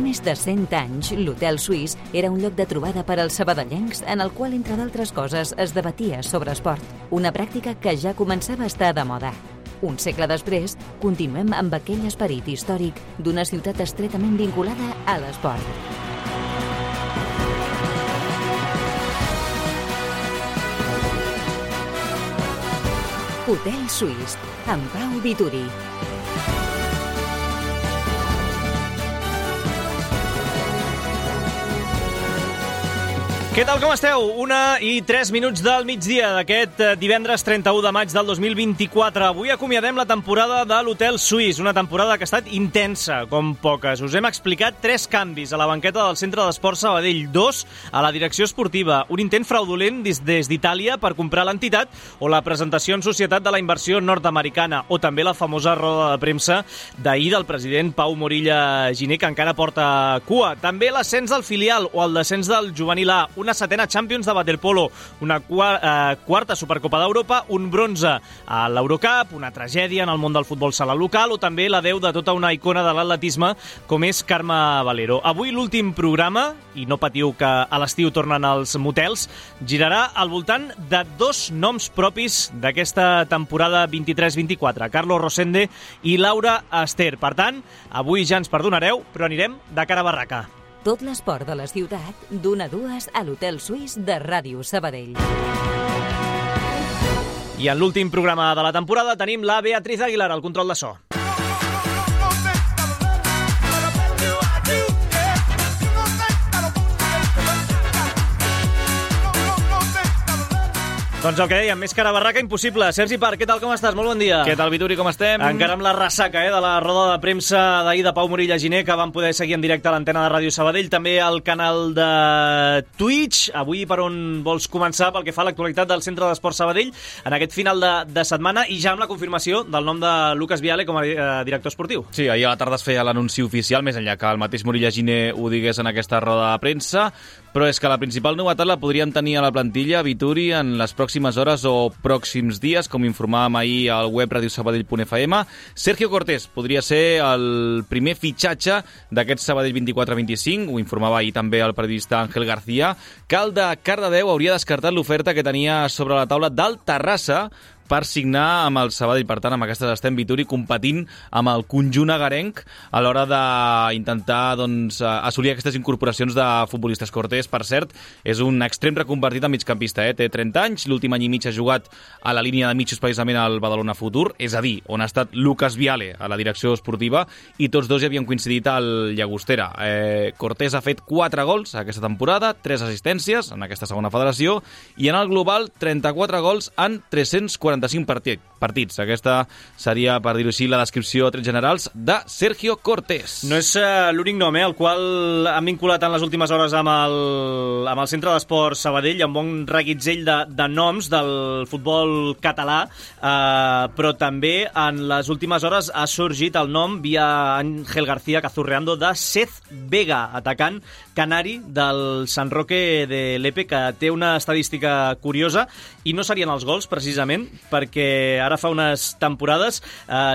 més de 100 anys, l'Hotel Suís era un lloc de trobada per als sabadellencs en el qual, entre d'altres coses, es debatia sobre esport, una pràctica que ja començava a estar de moda. Un segle després, continuem amb aquell esperit històric d'una ciutat estretament vinculada a l'esport. Hotel Suís, amb Pau Vituri. Què tal, com esteu? 1:03 del migdia d'aquest divendres 31 de maig del 2024. Avui acomiadem la temporada de l'Hotel Suís, una temporada que ha estat intensa, com poques. Us hem explicat 3 canvis a la banqueta del Centre d'Esport Sabadell, 2 a la direcció esportiva, un intent fraudulent des d'Itàlia per comprar l'entitat o la presentació en societat de la inversió nord-americana, o també la famosa roda de premsa d'ahir del president Pau Morilla Giner, que encara porta cua. També l'ascens del filial o el descens del juvenil A, una 7a Champions de waterpolo, una quarta Supercopa d'Europa, un bronze a l'Eurocup, una tragèdia en el món del futbol sala local o també l'adeu de tota una icona de l'atletisme com és Carme Valero. Avui l'últim programa, i no patiu que a l'estiu tornen els motels, girarà al voltant de 2 noms propis d'aquesta temporada 23-24, Carlos Rosende i Laura Ester. Per tant, avui ja ens perdonareu, però anirem de cara a barraca. Tot l'esport de la ciutat, d'1 a 2 a l'Hotel Suís de Ràdio Sabadell. I en l'últim programa de la temporada tenim la Beatriz Aguilar, al control de so. Doncs el que dèiem, més cara a barraca impossible. Sergi Parc, què tal, com estàs? Molt bon dia. Què tal, Vituri, com estem? Encara amb la ressaca de la roda de premsa d'ahir de Pau Morilla Giner, que vam poder seguir en directe a l'antena de Ràdio Sabadell, també al canal de Twitch. Avui, per on vols començar pel que fa a l'actualitat del Centre d'Esport Sabadell en aquest final de setmana i ja amb la confirmació del nom de Lucas Viale com a director esportiu? Sí, ahir a la tarda es feia l'anunci oficial, més enllà que el mateix Morilla Giner ho digués en aquesta roda de premsa, però és que la principal novetat la podríem tenir a la plantilla, Vituri, en les pròximes hores o pròxims dies, com informàvem ahir al web radiosabadell.fm. Sergio Cortés podria ser el primer fitxatge d'aquest Sabadell 24-25, ho informava ahir també el periodista Ángel García, que el de Cardedeu hauria descartat l'oferta que tenia sobre la taula del Terrassa per signar amb el Sabadell. Per tant, amb aquestes estem, Vituri, competint amb el conjunt agarenc a l'hora d'intentar assolir aquestes incorporacions de futbolistes. Cortés, per cert, és un extrem reconvertit a migcampista. Té 30 anys, l'últim any i mig ha jugat a la línia de mitjos precisament al Badalona Futur, és a dir, on ha estat Lucas Viale a la direcció esportiva, i tots dos ja havien coincidit al Llagostera. Cortés ha fet 4 gols aquesta temporada, 3 assistències en aquesta segona federació, i en el global 34 gols en 345 partits. Aquesta seria, per dir-ho així, la descripció a trets generals de Sergio Cortés. No és l'únic nom, el qual han vinculat en les últimes hores amb el Centre d'Esport Sabadell, amb un reguitzell de noms del futbol català, però també en les últimes hores ha sorgit el nom, via Ángel García Cazurreando, de Seth Vega, atacant canari del San Roque de Lepe, que té una estadística curiosa, i no serien els gols, precisament, perquè ara fa unes temporades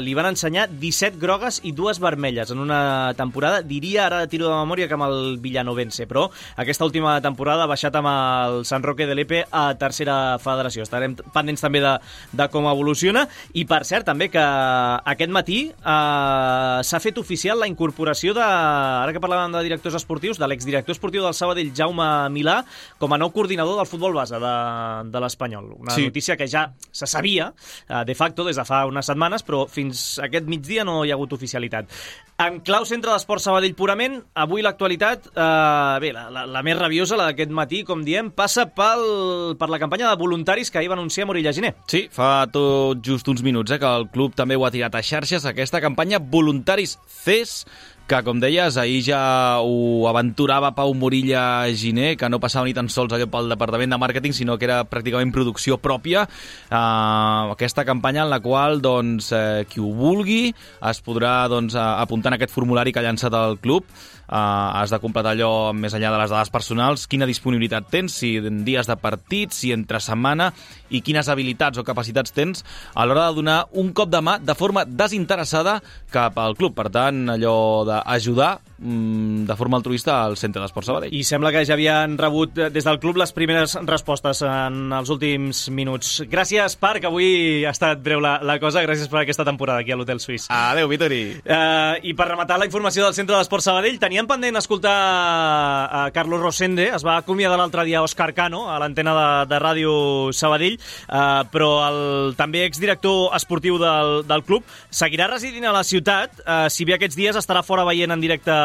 li van ensenyar 17 grogues i 2 vermelles en una temporada. Diria, ara tiro de memòria, que amb el Villanovense, però aquesta última temporada ha baixat amb el San Roque de Lepe a tercera federació. Estarem pendents també de com evoluciona. I, per cert, també que aquest matí s'ha fet oficial la incorporació ara que parlàvem de directors esportius, de l'exdirector esportiu del Sabadell, Jaume Milà, com a nou coordinador del futbol base de l'Espanyol. Una notícia que ja se sabia, de facto, des de fa unes setmanes, però fins aquest migdia no hi ha hagut oficialitat. En clau Centre d'Esport Sabadell purament, avui l'actualitat, la més rabiosa, la d'aquest matí, com diem, passa per la campanya de voluntaris que ahir va anunciar Morilla Giner. Sí, fa tot just uns minuts que el club també ho ha tirat a xarxes, aquesta campanya Voluntaris CES, que, com deies, ahir ja ho aventurava Pau Morilla Giner, que no passava ni tan sols allò pel departament de màrqueting, sinó que era pràcticament producció pròpia. Aquesta campanya en la qual qui ho vulgui es podrà apuntar en aquest formulari que ha llançat el club. Has de completar allò més enllà de les dades personals, quina disponibilitat tens, si en dies de partit, si entre setmana, i quines habilitats o capacitats tens a l'hora de donar un cop de mà de forma desinteressada cap al club. Per tant, allò d'ajudar de forma altruista al Centre d'Esports Sabadell. I sembla que ja havien rebut des del club les primeres respostes en els últims minuts. Gràcies, Parc, avui ha estat breu la cosa, gràcies per aquesta temporada aquí a l'Hotel Suís. Adéu, Vitori. I per rematar la informació del Centre d'Esports Sabadell, teníem pendent escoltar a Carlos Rosende, es va acomiadar l'altre dia Òscar Cano a l'antena de Ràdio Sabadell, però el també exdirector esportiu del club seguirà residint a la ciutat, si bé aquests dies estarà fora veient en directe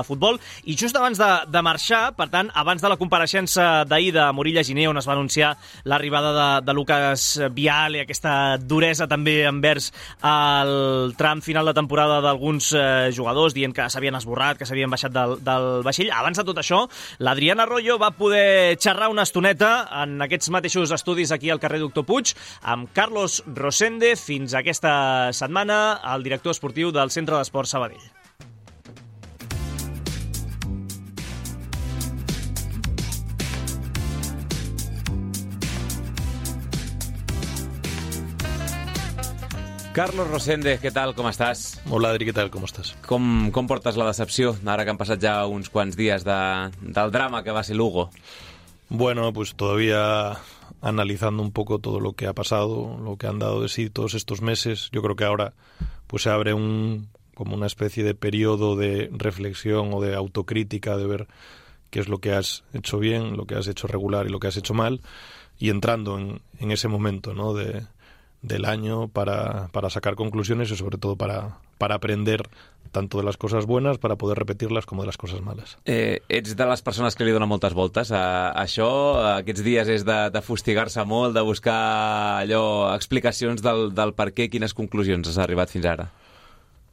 futbol, i just abans de marxar, per tant, abans de la compareixença d'ahir de Morilla Giner, on es va anunciar l'arribada de Lucas Viale, aquesta duresa també envers el tram final de temporada d'alguns jugadors, dient que s'havien esborrat, que s'havien baixat del vaixell. Abans de tot això, l'Adriana Arroyo va poder xerrar una estoneta en aquests mateixos estudis aquí al carrer Doctor Puig amb Carlos Rosende, fins aquesta setmana el director esportiu del Centre d'Esports Sabadell. Carlos Rosende, què tal, com estàs? Hola, Adri, què tal, com estàs? Com portes la decepció, ara que han passat ja uns quants dies del drama que va ser Lugo? Bueno, pues todavía analizando un poco todo lo que ha pasado, lo que han dado de sí todos estos meses. Yo creo que ahora pues se abre como una especie de periodo de reflexión o de autocrítica, de ver qué es lo que has hecho bien, lo que has hecho regular y lo que has hecho mal, y entrando en ese momento, ¿no?, del año para sacar conclusiones y sobre todo para aprender tanto de les coses bones para poder repetir-les com de les coses males. Ets de les persones que li donen moltes voltes a això? Aquests dies és de fustigar-se molt, de buscar explicacions del per què, quines conclusions has arribat fins ara?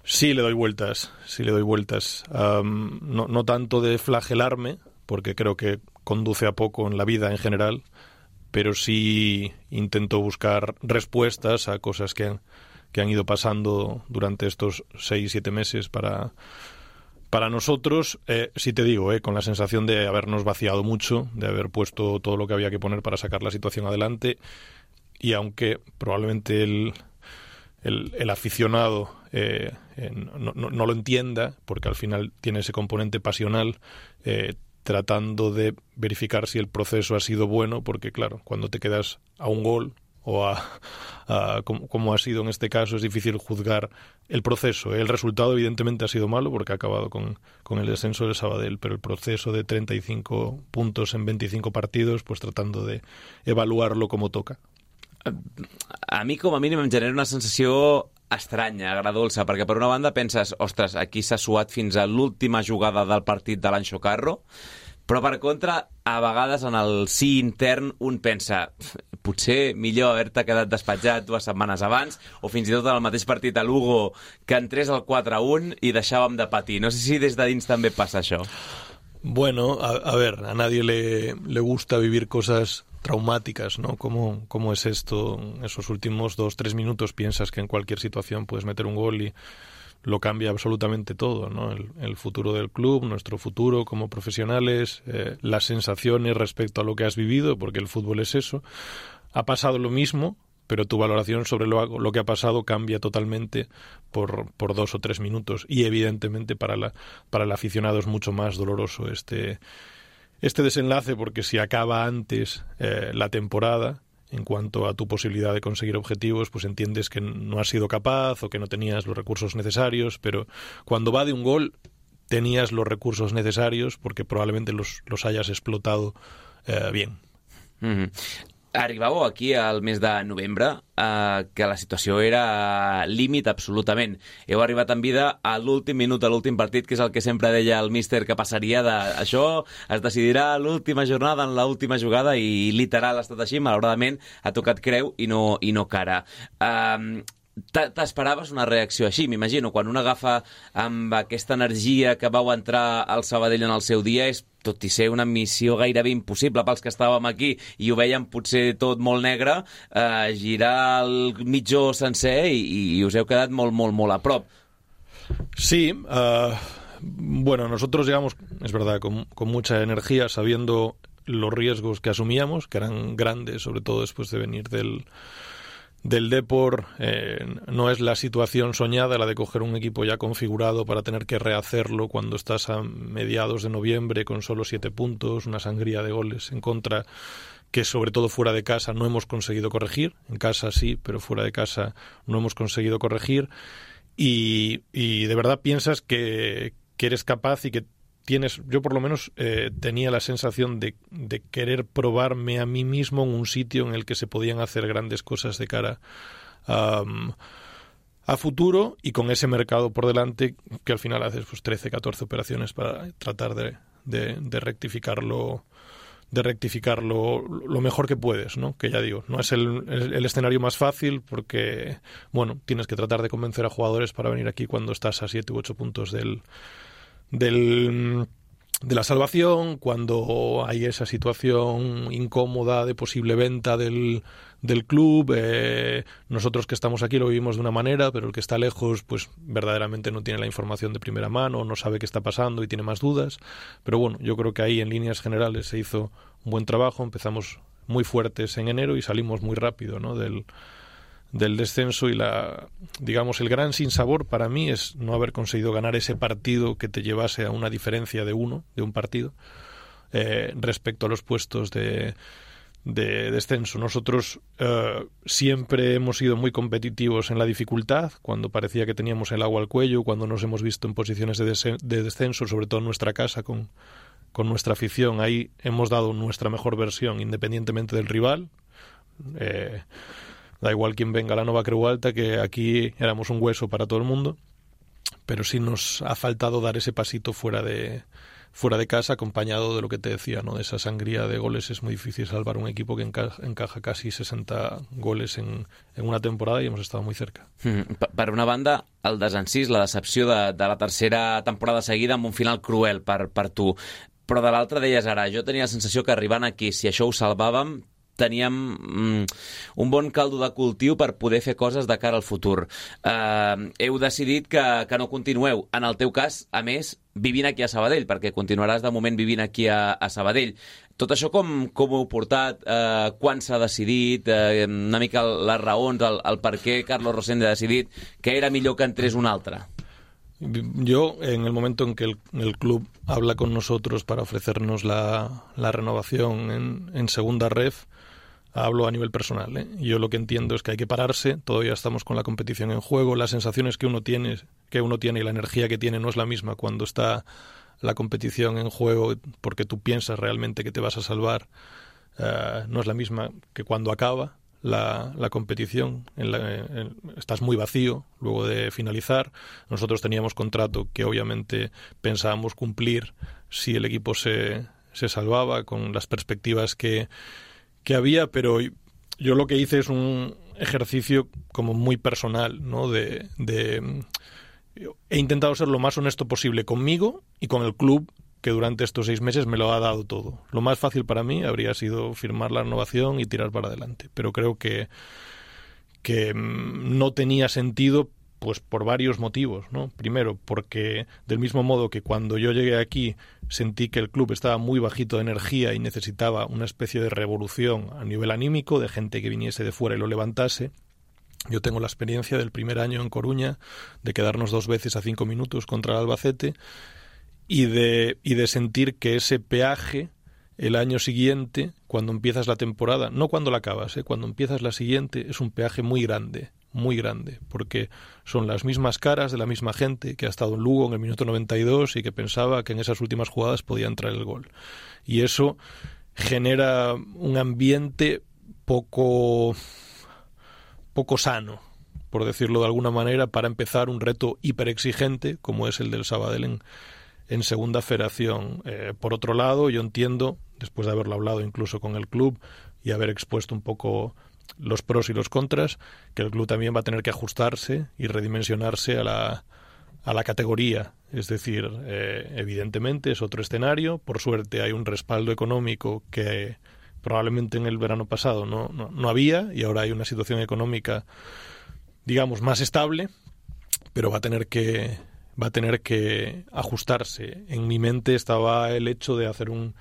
Sí, le doy vueltas. No tanto de flagelarme, porque creo que conduce a poco en la vida en general, pero sí intento buscar respuestas a cosas que han ido pasando durante estos 6-7 meses para nosotros. Sí te digo, con la sensación de habernos vaciado mucho, de haber puesto todo lo que había que poner para sacar la situación adelante, y aunque probablemente el aficionado no lo entienda, porque al final tiene ese componente pasional, tratando de verificar si el proceso ha sido bueno, porque claro, cuando te quedas a un gol o como ha sido en este caso, es difícil juzgar el proceso. El resultado evidentemente ha sido malo porque ha acabado con el descenso del Sabadell, pero el proceso de 35 puntos en 25 partidos, pues tratando de evaluarlo como toca. A mi, com a mínim, em genera una sensació estranya, agradolça, perquè per una banda penses, ostres, aquí s'ha suat fins a l'última jugada del partit de l'Anxo Carro, però per contra, a vegades en el sí intern un pensa, potser millor haver-te quedat despatxat 2 setmanes abans, o fins i tot en el mateix partit a Lugo, que entrés el 4-1 i deixàvem de patir. No sé si des de dins també passa això. Bueno, a ver, a nadie le gusta vivir cosas traumáticas, ¿no? ¿Cómo es esto? En esos últimos 2-3 minutos piensas que en cualquier situación puedes meter un gol y lo cambia absolutamente todo, ¿no? El futuro del club, nuestro futuro como profesionales, las sensaciones respecto a lo que has vivido, porque el fútbol es eso. Ha pasado lo mismo, pero tu valoración sobre lo que ha pasado cambia totalmente por 2 o 3 minutos, y evidentemente para el aficionado es mucho más doloroso este desenlace, porque si acaba antes la temporada, en cuanto a tu posibilidad de conseguir objetivos, pues entiendes que no has sido capaz o que no tenías los recursos necesarios, pero cuando va de un gol tenías los recursos necesarios porque probablemente los hayas explotado bien. Mm-hmm. Arribàveu aquí al mes de novembre que la situació era límit absolutament. Heu arribat en vida a l'últim minut, a l'últim partit, que és el que sempre deia el míster que passaria això es decidirà a l'última jornada, en l'última jugada, i literal ha estat així. Malauradament ha tocat creu i no cara. T'esperaves una reacció així? M'imagino, quan un agafa amb aquesta energia que vau entrar al Sabadell en el seu dia, és tot i ser una missió gairebé impossible pels que estàvem aquí i ho veiem potser tot molt negre, girar el mitjó sencer i us heu quedat molt, molt, molt a prop. Sí, bueno, nosotros llegamos, es verdad, con mucha energía, sabiendo los riesgos que asumíamos, que eran grandes, sobre todo después de venir del del Depor no es la situación soñada, la de coger un equipo ya configurado para tener que rehacerlo cuando estás a mediados de noviembre con solo 7 puntos, una sangría de goles en contra que sobre todo fuera de casa no hemos conseguido corregir. En casa sí, pero fuera de casa no hemos conseguido corregir. Y de verdad piensas que eres capaz y que tienes, yo por lo menos tenía la sensación de querer probarme a mí mismo en un sitio en el que se podían hacer grandes cosas de cara a futuro, y con ese mercado por delante que al final haces pues 13, 14 operaciones para tratar de rectificarlo lo mejor que puedes, ¿no? Que ya digo, no es el escenario más fácil porque, bueno, tienes que tratar de convencer a jugadores para venir aquí cuando estás a 7 u 8 puntos de la salvación, cuando hay esa situación incómoda de posible venta del club. Nosotros que estamos aquí lo vivimos de una manera, pero el que está lejos pues verdaderamente no tiene la información de primera mano, no sabe qué está pasando y tiene más dudas. Pero bueno, yo creo que ahí en líneas generales se hizo un buen trabajo. Empezamos muy fuertes en enero y salimos muy rápido, ¿no?, del descenso, y digamos el gran sinsabor para mí es no haber conseguido ganar ese partido que te llevase a una diferencia de un partido respecto a los puestos de descenso. Nosotros siempre hemos sido muy competitivos en la dificultad, cuando parecía que teníamos el agua al cuello, cuando nos hemos visto en posiciones de descenso, sobre todo en nuestra casa con nuestra afición. Ahí hemos dado nuestra mejor versión independientemente del rival. Da igual quién venga a la Nova Creu Alta, que aquí éramos un hueso para todo el mundo, pero sí nos ha faltado dar ese pasito fuera de casa, acompañado de lo que te decía, ¿no?, de esa sangría de goles. Es muy difícil salvar un equipo que encaja casi 60 goles en una temporada, y hemos estado muy cerca. Per una banda, el desencís, la decepció de la tercera temporada seguida amb un final cruel per tu, però de l'altra deies ara, jo tenia la sensació que arribant aquí, si això ho salvàvem, teníem un bon caldo de cultiu per poder fer coses de cara al futur. Heu decidit que no continueu. En el teu cas, a més, vivint aquí a Sabadell, perquè continuaràs de moment vivint aquí a Sabadell. Tot això com ho heu portat? Quan s'ha decidit? Una mica les raons, el per què Carlos Rosende ha decidit que era millor que entrés un altre? Yo, en el momento en que el club habla con nosotros para ofrecernos la renovación en segunda ref, hablo a nivel personal, ¿eh? Yo lo que entiendo es que hay que pararse. Todavía estamos con la competición en juego. Las sensaciones que uno tiene y la energía que tiene no es la misma cuando está la competición en juego, porque tú piensas realmente que te vas a salvar. No es la misma que cuando acaba la competición. Estás muy vacío luego de finalizar. Nosotros teníamos contrato que obviamente pensábamos cumplir si el equipo se salvaba, con las perspectivas que había, pero yo lo que hice es un ejercicio como muy personal, ¿no? He intentado ser lo más honesto posible conmigo y con el club, que durante estos 6 meses me lo ha dado todo. Lo más fácil para mí habría sido firmar la renovación y tirar para adelante, pero creo que no tenía sentido, pues por varios motivos, ¿no? Primero, porque del mismo modo que cuando yo llegué aquí sentí que el club estaba muy bajito de energía y necesitaba una especie de revolución a nivel anímico, de gente que viniese de fuera y lo levantase. Yo tengo la experiencia del primer año en Coruña, de quedarnos 2 veces a 5 minutos contra el Albacete, y de sentir que ese peaje el año siguiente, cuando empiezas la temporada, no cuando la acabas, cuando empiezas la siguiente, es un peaje muy grande, porque son las mismas caras de la misma gente que ha estado en Lugo en el minuto 92 y que pensaba que en esas últimas jugadas podía entrar el gol. Y eso genera un ambiente poco sano, por decirlo de alguna manera, para empezar un reto hiperexigente como es el del Sabadell en segunda federación. Por otro lado, yo entiendo, después de haberlo hablado incluso con el club y haber expuesto un poco los pros y los contras, que el club también va a tener que ajustarse y redimensionarse a la categoría. Es decir, evidentemente es otro escenario. Por suerte hay un respaldo económico que probablemente en el verano pasado no había, y ahora hay una situación económica, digamos, más estable, pero va a tener que ajustarse. En mi mente estaba el hecho de hacer un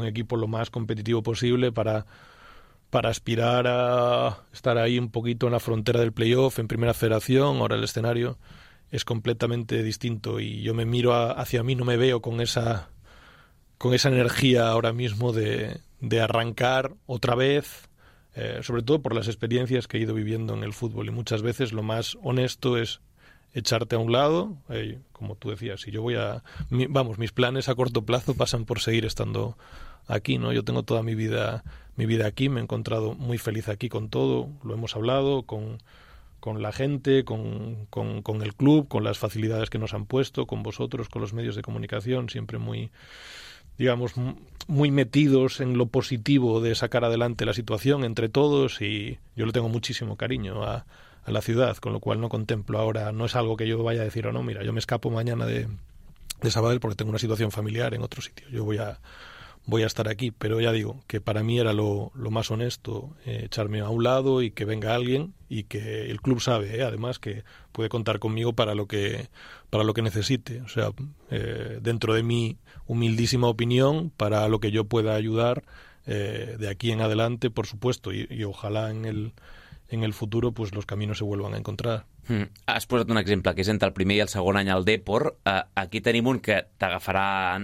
equipo lo más competitivo posible para para aspirar a estar ahí un poquito en la frontera del playoff, en Primera Federación. Ahora el escenario es completamente distinto y yo me miro hacia mí, no me veo con esa energía ahora mismo de arrancar otra vez, sobre todo por las experiencias que he ido viviendo en el fútbol, y muchas veces lo más honesto es echarte a un lado. Como tú decías, si yo mis planes a corto plazo pasan por seguir estando aquí, ¿no? Yo tengo toda mi vida aquí, me he encontrado muy feliz aquí con todo, lo hemos hablado con la gente, con el club, con las facilidades que nos han puesto, con vosotros, con los medios de comunicación, siempre muy metidos en lo positivo de sacar adelante la situación entre todos, y yo le tengo muchísimo cariño a la ciudad, con lo cual no contemplo ahora, no es algo que yo vaya a decir, no, mira, yo me escapo mañana de Sabadell porque tengo una situación familiar en otro sitio, yo voy a estar aquí, pero ya digo que para mí era lo más honesto, echarme a un lado y que venga alguien, y que el club sabe, además, que puede contar conmigo para lo que necesite, o sea, dentro de mi humildísima opinión, para lo que yo pueda ayudar de aquí en adelante, por supuesto, y ojalá en el futuro pues los caminos se vuelvan a encontrar. Has posat un exemple, que és entre el primer i el segon any al Depor. Aquí tenim un que t'agafarà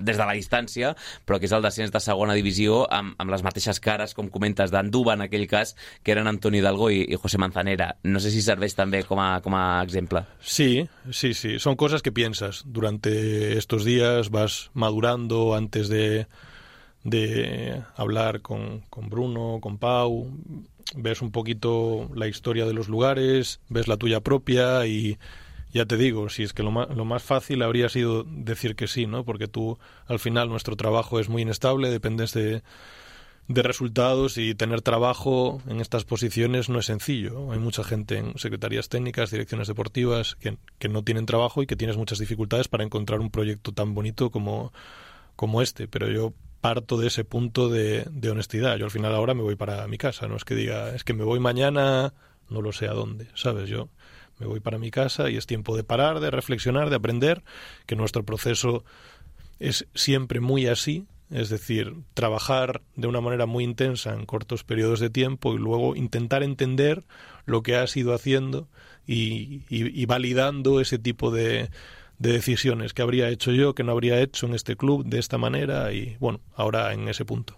des de la distància, però que és el descens de segona divisió, amb les mateixes cares, com comentes, d'Anduba, en aquell cas, que eren Antonio Hidalgo i José Manzanera. No sé si serveix també com a exemple. Sí. Son cosas que piensas durante estos días, vas madurando antes de hablar con Bruno, con Pau. Ves un poquito la historia de los lugares, ves la tuya propia, y ya te digo, si es que lo más fácil habría sido decir que sí, ¿no? Porque tú, al final, nuestro trabajo es muy inestable, dependes de resultados, y tener trabajo en estas posiciones no es sencillo. Hay mucha gente en secretarías técnicas, direcciones deportivas, que no tienen trabajo y que tienes muchas dificultades para encontrar un proyecto tan bonito como este, pero yo parto de ese punto de honestidad. Yo al final ahora me voy para mi casa, no es que diga, es que me voy mañana, no lo sé a dónde, ¿sabes? Yo me voy para mi casa y es tiempo de parar, de reflexionar, de aprender, que nuestro proceso es siempre muy así, es decir, trabajar de una manera muy intensa en cortos periodos de tiempo y luego intentar entender lo que has ido haciendo y validando ese tipo de decisiones que habría hecho yo, que no habría hecho en este club de esta manera, y bueno, ahora en ese punto.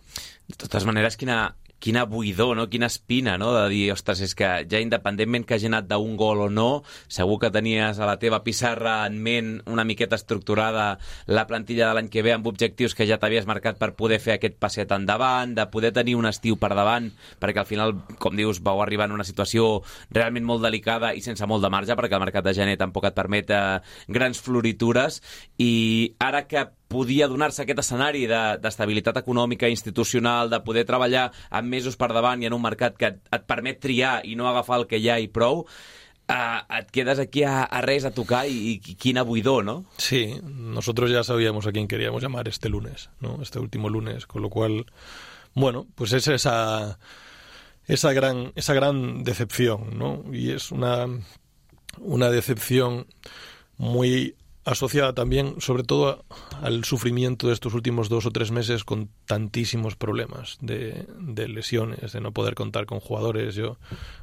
De totes maneres, quina buidor, no? Quina espina, no? De dir, ostres, és que ja independentment que hagi anat d'un gol o no, segur que tenies a la teva pissarra en ment una miqueta estructurada la plantilla de l'any que ve, amb objectius que ja t'havies marcat per poder fer aquest passet endavant, de poder tenir un estiu per davant, perquè al final, com dius, vau arribar en una situació realment molt delicada i sense molt de marge, perquè el mercat de gener tampoc et permet grans floritures, i ara que podia donar-se aquest escenari d'estabilitat econòmica i institucional, de poder treballar amb mesos per davant i en un mercat que et permet triar i no agafar el que hi ha i prou, et quedes aquí a res, a tocar, i quina buidor, ¿no? Sí, nosotros ya sabíamos a quién queríamos llamar este lunes, ¿no? Este último lunes, con lo cual, bueno, pues es esa gran decepción, ¿no? Y es una decepción muy asociada también, sobre todo, al sufrimiento de estos últimos 2 o 3 meses con tantísimos problemas de lesiones, de no poder contar con jugadores. Yo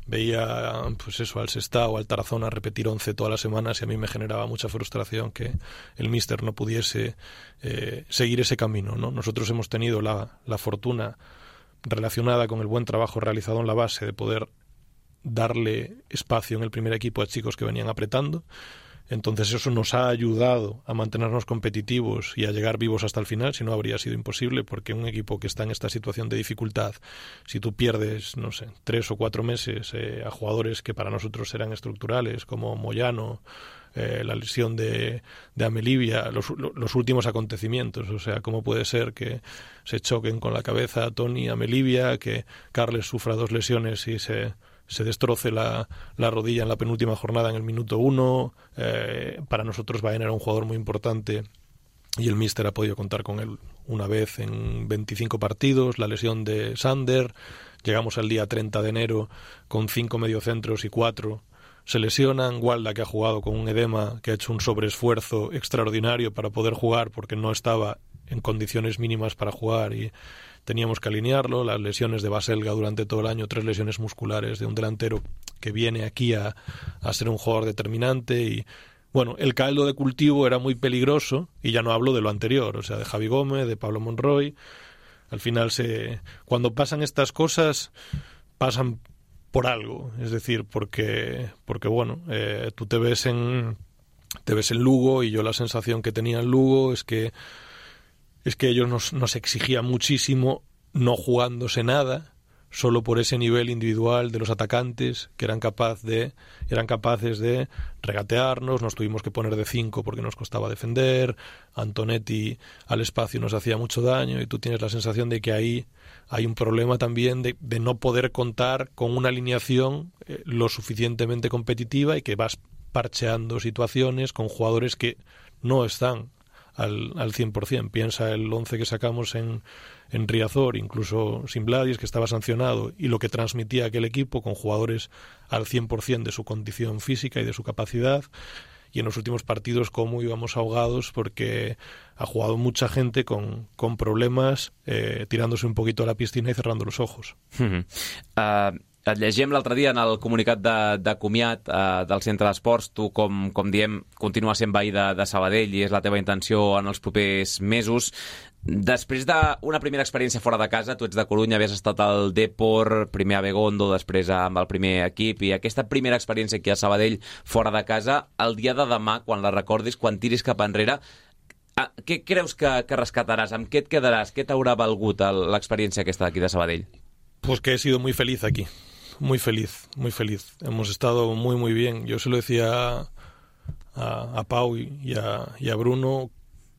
veía, pues eso, al Sestao, al Tarazona repetir 11 todas las semanas, y a mí me generaba mucha frustración que el míster no pudiese seguir ese camino, ¿no? Nosotros hemos tenido la fortuna, relacionada con el buen trabajo realizado en la base, de poder darle espacio en el primer equipo a chicos que venían apretando. Entonces eso nos ha ayudado a mantenernos competitivos y a llegar vivos hasta el final, si no habría sido imposible, porque un equipo que está en esta situación de dificultad, si tú pierdes, no sé, 3 o 4 meses a jugadores que para nosotros eran estructurales, como Moyano, la lesión de Amelivia, los últimos acontecimientos, o sea, ¿cómo puede ser que se choquen con la cabeza Toni, Amelivia, que Carles sufra 2 lesiones y se destroce la rodilla en la penúltima jornada en el minuto 1? Para nosotros Baena era un jugador muy importante y el míster ha podido contar con él una vez en 25 partidos. La lesión de Sander, llegamos al día 30 de enero con 5 mediocentros y 4 se lesionan. Walda, que ha jugado con un edema, que ha hecho un sobreesfuerzo extraordinario para poder jugar porque no estaba en condiciones mínimas para jugar, y teníamos que alinearlo, las lesiones de Baselga durante todo el año, 3 lesiones musculares de un delantero que viene aquí a ser un jugador determinante y bueno, el caldo de cultivo era muy peligroso y ya no hablo de lo anterior, o sea, de Javi Gómez, de Pablo Monroy. Al final cuando pasan estas cosas pasan por algo, es decir, porque bueno, tú te ves en Lugo y yo la sensación que tenía en Lugo es que ellos nos exigían muchísimo no jugándose nada, solo por ese nivel individual de los atacantes que eran capaces de regatearnos, nos tuvimos que poner de 5 porque nos costaba defender, Antonetti al espacio nos hacía mucho daño y tú tienes la sensación de que ahí hay un problema también de no poder contar con una alineación lo suficientemente competitiva y que vas parcheando situaciones con jugadores que no están al 100%. Piensa el 11 que sacamos en Riazor, incluso sin Bladis, que estaba sancionado, y lo que transmitía aquel equipo con jugadores al 100% de su condición física y de su capacidad. Y en los últimos partidos cómo íbamos ahogados porque ha jugado mucha gente con problemas, tirándose un poquito a la piscina y cerrando los ojos. Et llegíem l'altre dia en el comunicat de comiat del Centre d'Esports. Tu, com diem, continues sent veí de Sabadell i és la teva intenció en els propers mesos. Després d'una primera experiència fora de casa, tu ets de Corunya, havies estat al Depor, primer a Begondo, després amb el primer equip, i aquesta primera experiència aquí a Sabadell fora de casa, el dia de demà, quan la recordis, quan tiris cap enrere, què creus que rescataràs? Amb què et quedaràs? Què t'haurà valgut l'experiència aquesta d'aquí de Sabadell? Pues que he sido muy feliz aquí. Muy feliz, muy feliz. Hemos estado muy, muy bien. Yo se lo decía a Pau y a Bruno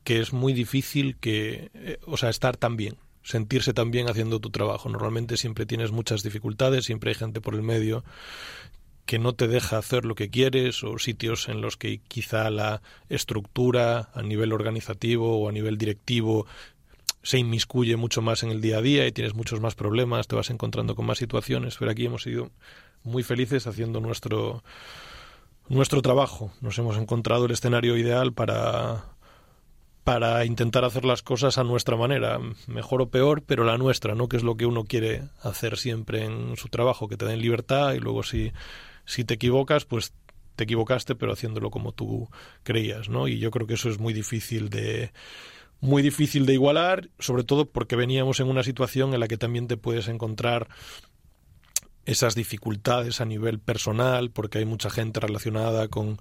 que es muy difícil estar tan bien, sentirse tan bien haciendo tu trabajo. Normalmente siempre tienes muchas dificultades, siempre hay gente por el medio que no te deja hacer lo que quieres o sitios en los que quizá la estructura a nivel organizativo o a nivel directivo se inmiscuye mucho más en el día a día y tienes muchos más problemas, te vas encontrando con más situaciones, pero aquí hemos sido muy felices haciendo nuestro trabajo. Nos hemos encontrado el escenario ideal para intentar hacer las cosas a nuestra manera, mejor o peor, pero la nuestra, ¿no? Que es lo que uno quiere hacer siempre en su trabajo, que te den libertad y luego si te equivocas, pues te equivocaste, pero haciéndolo como tú creías, ¿no? Y yo creo que eso es muy difícil de igualar, sobre todo porque veníamos en una situación en la que también te puedes encontrar esas dificultades a nivel personal, porque hay mucha gente relacionada con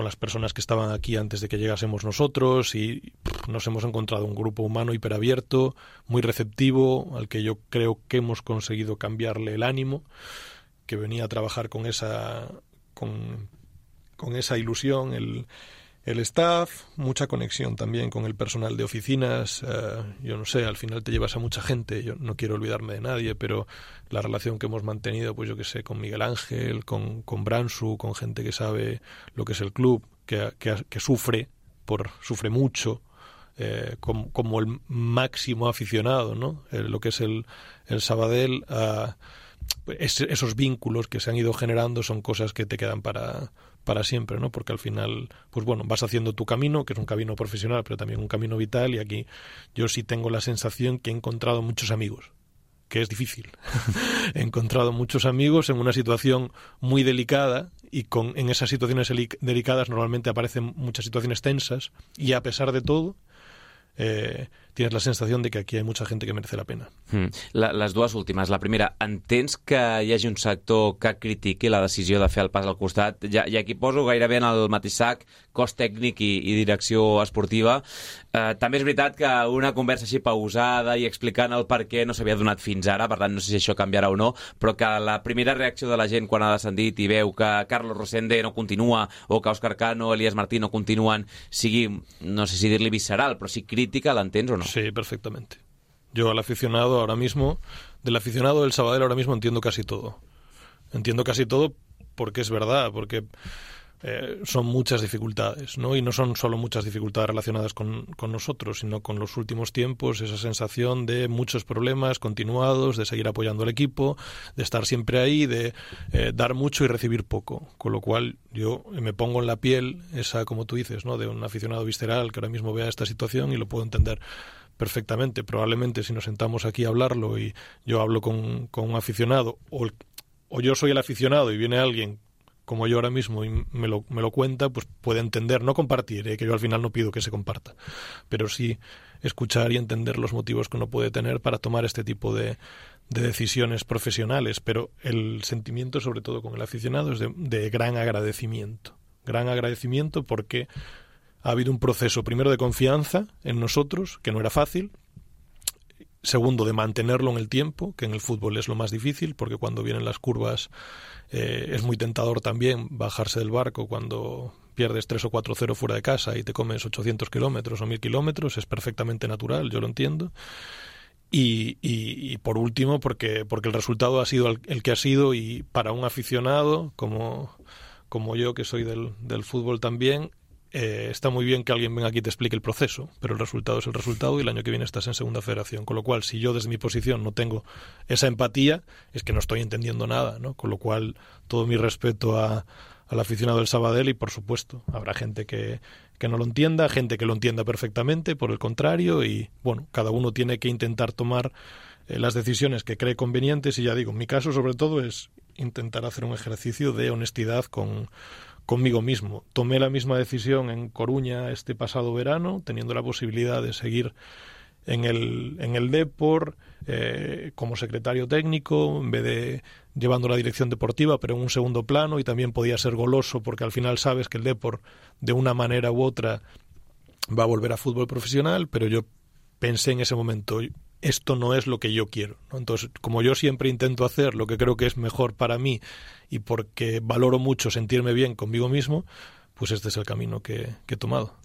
las personas que estaban aquí antes de que llegásemos nosotros y nos hemos encontrado un grupo humano hiperabierto, muy receptivo, al que yo creo que hemos conseguido cambiarle el ánimo, que venía a trabajar con esa ilusión, el staff, mucha conexión también con el personal de oficinas. Yo no sé, al final te llevas a mucha gente, yo no quiero olvidarme de nadie, pero la relación que hemos mantenido, pues yo que sé, con Miguel Ángel, con Bransu, con gente que sabe lo que es el club, que sufre mucho, como el máximo aficionado, ¿no? Lo que es el Sabadell, esos vínculos que se han ido generando son cosas que te quedan para siempre, ¿no? Porque al final, pues bueno, vas haciendo tu camino, que es un camino profesional, pero también un camino vital, y aquí yo sí tengo la sensación que he encontrado muchos amigos, que es difícil. He encontrado muchos amigos en una situación muy delicada, y en esas situaciones delicadas normalmente aparecen muchas situaciones tensas, y a pesar de todo, tienes la sensació de que aquí hi ha mucha gent que merece la pena. Les dues últimes. La primera, entens que hi hagi un sector que critiqui la decisió de fer el pas al costat? I aquí poso gairebé en el mateix sac cos tècnic i direcció esportiva. També és veritat que una conversa així pausada i explicant el per què no s'havia donat fins ara, per tant no sé si això canviarà o no, però que la primera reacció de la gent quan ha descendit i veu que Carlos Rosende no continua o que Òscar Cano, Elías Martín no continuen, sigui, no sé si dir-li visceral, però si crítica, l'entens o no? Sí, perfectamente. Yo al aficionado ahora mismo, del aficionado del Sabadell ahora mismo entiendo casi todo. Entiendo casi todo porque es verdad, porque son muchas dificultades, ¿no? Y no son solo muchas dificultades relacionadas con nosotros, sino con los últimos tiempos, esa sensación de muchos problemas continuados, de seguir apoyando al equipo, de estar siempre ahí, de dar mucho y recibir poco. Con lo cual yo me pongo en la piel esa, como tú dices, ¿no? De un aficionado visceral que ahora mismo vea esta situación y lo puedo entender perfectamente. Probablemente si nos sentamos aquí a hablarlo y yo hablo con un aficionado, o yo soy el aficionado y viene alguien como yo ahora mismo y me lo cuenta, pues puede entender, no compartir, que yo al final no pido que se comparta, pero sí escuchar y entender los motivos que uno puede tener para tomar este tipo de decisiones profesionales. Pero el sentimiento, sobre todo con el aficionado, es de gran agradecimiento porque ha habido un proceso, primero, de confianza en nosotros, que no era fácil. Segundo, de mantenerlo en el tiempo, que en el fútbol es lo más difícil, porque cuando vienen las curvas es muy tentador también bajarse del barco cuando pierdes 3 o 4-0 fuera de casa y te comes 800 kilómetros o 1000 kilómetros. Es perfectamente natural, yo lo entiendo. Y por último, porque el resultado ha sido el que ha sido, y para un aficionado como yo, que soy del fútbol también, está muy bien que alguien venga aquí y te explique el proceso, pero el resultado es el resultado y el año que viene estás en segunda federación. Con lo cual, si yo desde mi posición no tengo esa empatía, es que no estoy entendiendo nada, ¿no? Con lo cual, todo mi respeto al aficionado del Sabadell, y por supuesto habrá gente que no lo entienda, gente que lo entienda perfectamente, por el contrario, y bueno, cada uno tiene que intentar tomar las decisiones que cree convenientes. Y ya digo, en mi caso sobre todo es intentar hacer un ejercicio de honestidad conmigo mismo. Tomé la misma decisión en Coruña este pasado verano, teniendo la posibilidad de seguir en el Depor como secretario técnico, en vez de llevando la dirección deportiva, pero en un segundo plano, y también podía ser goloso porque al final sabes que el Depor de una manera u otra va a volver a fútbol profesional, pero yo pensé en ese momento, esto no es lo que yo quiero, ¿no? Entonces, como yo siempre intento hacer lo que creo que es mejor para mí y porque valoro mucho sentirme bien conmigo mismo, pues este es el camino que he tomado.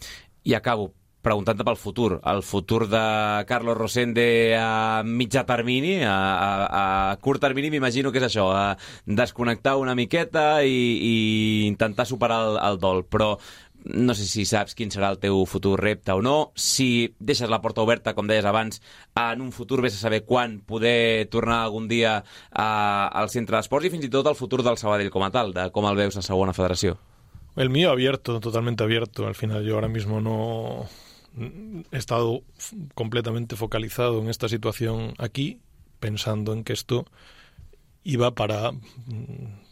I acabo preguntant-te pel futur. El futur de Carlos Rosende a mitjà termini, a curt termini, m'imagino que és això, a desconnectar una miqueta i intentar superar el dol. Però no sé si saps quin serà el teu futur repte o no, si deixes la porta oberta, com deies abans, en un futur vés a saber quan poder tornar algun dia al centre d'esports, i fins i tot el futur del Sabadell com a tal, de com el veus a segona federació. El mío abierto, totalmente abierto. Al final yo ahora mismo no he estado completamente focalizado en esta situación aquí, pensando en que esto iba para,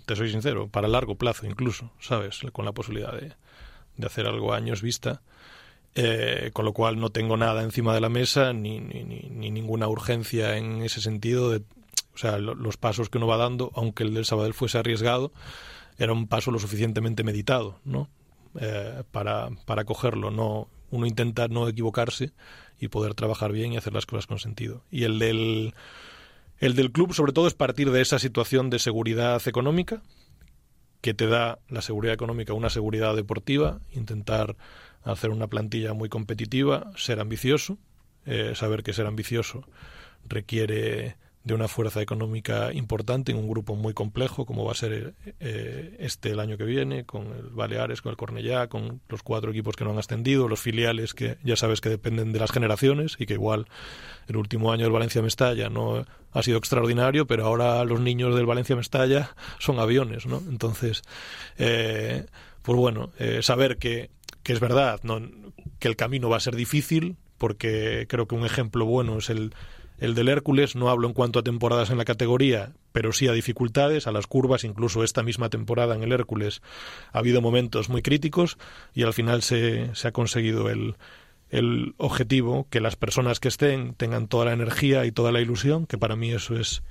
te soy sincero, para largo plazo incluso, ¿sabes? Con la posibilidad de hacer algo a años vista, con lo cual no tengo nada encima de la mesa, ni ninguna urgencia en ese sentido. O sea, los pasos que uno va dando, aunque el del Sabadell fuese arriesgado, era un paso lo suficientemente meditado, ¿no? Para cogerlo. No, uno intenta no equivocarse y poder trabajar bien y hacer las cosas con sentido. Y el del club, sobre todo, es partir de esa situación de seguridad económica, que te da la seguridad económica una seguridad deportiva, intentar hacer una plantilla muy competitiva, ser ambicioso, saber que ser ambicioso requiere de una fuerza económica importante en un grupo muy complejo como va a ser el año que viene, con el Baleares, con el Cornellá, con los 4 equipos que no han ascendido, los filiales que ya sabes que dependen de las generaciones, y que igual el último año del Valencia-Mestalla no ha sido extraordinario, pero ahora los niños del Valencia-Mestalla son aviones, ¿no? Entonces, pues bueno, saber que es verdad, ¿no?, que el camino va a ser difícil, porque creo que un ejemplo bueno es el del Hércules. No hablo en cuanto a temporadas en la categoría, pero sí a dificultades, a las curvas. Incluso esta misma temporada en el Hércules ha habido momentos muy críticos, y al final se ha conseguido el objetivo, que las personas que estén tengan toda la energía y toda la ilusión, que para mí eso es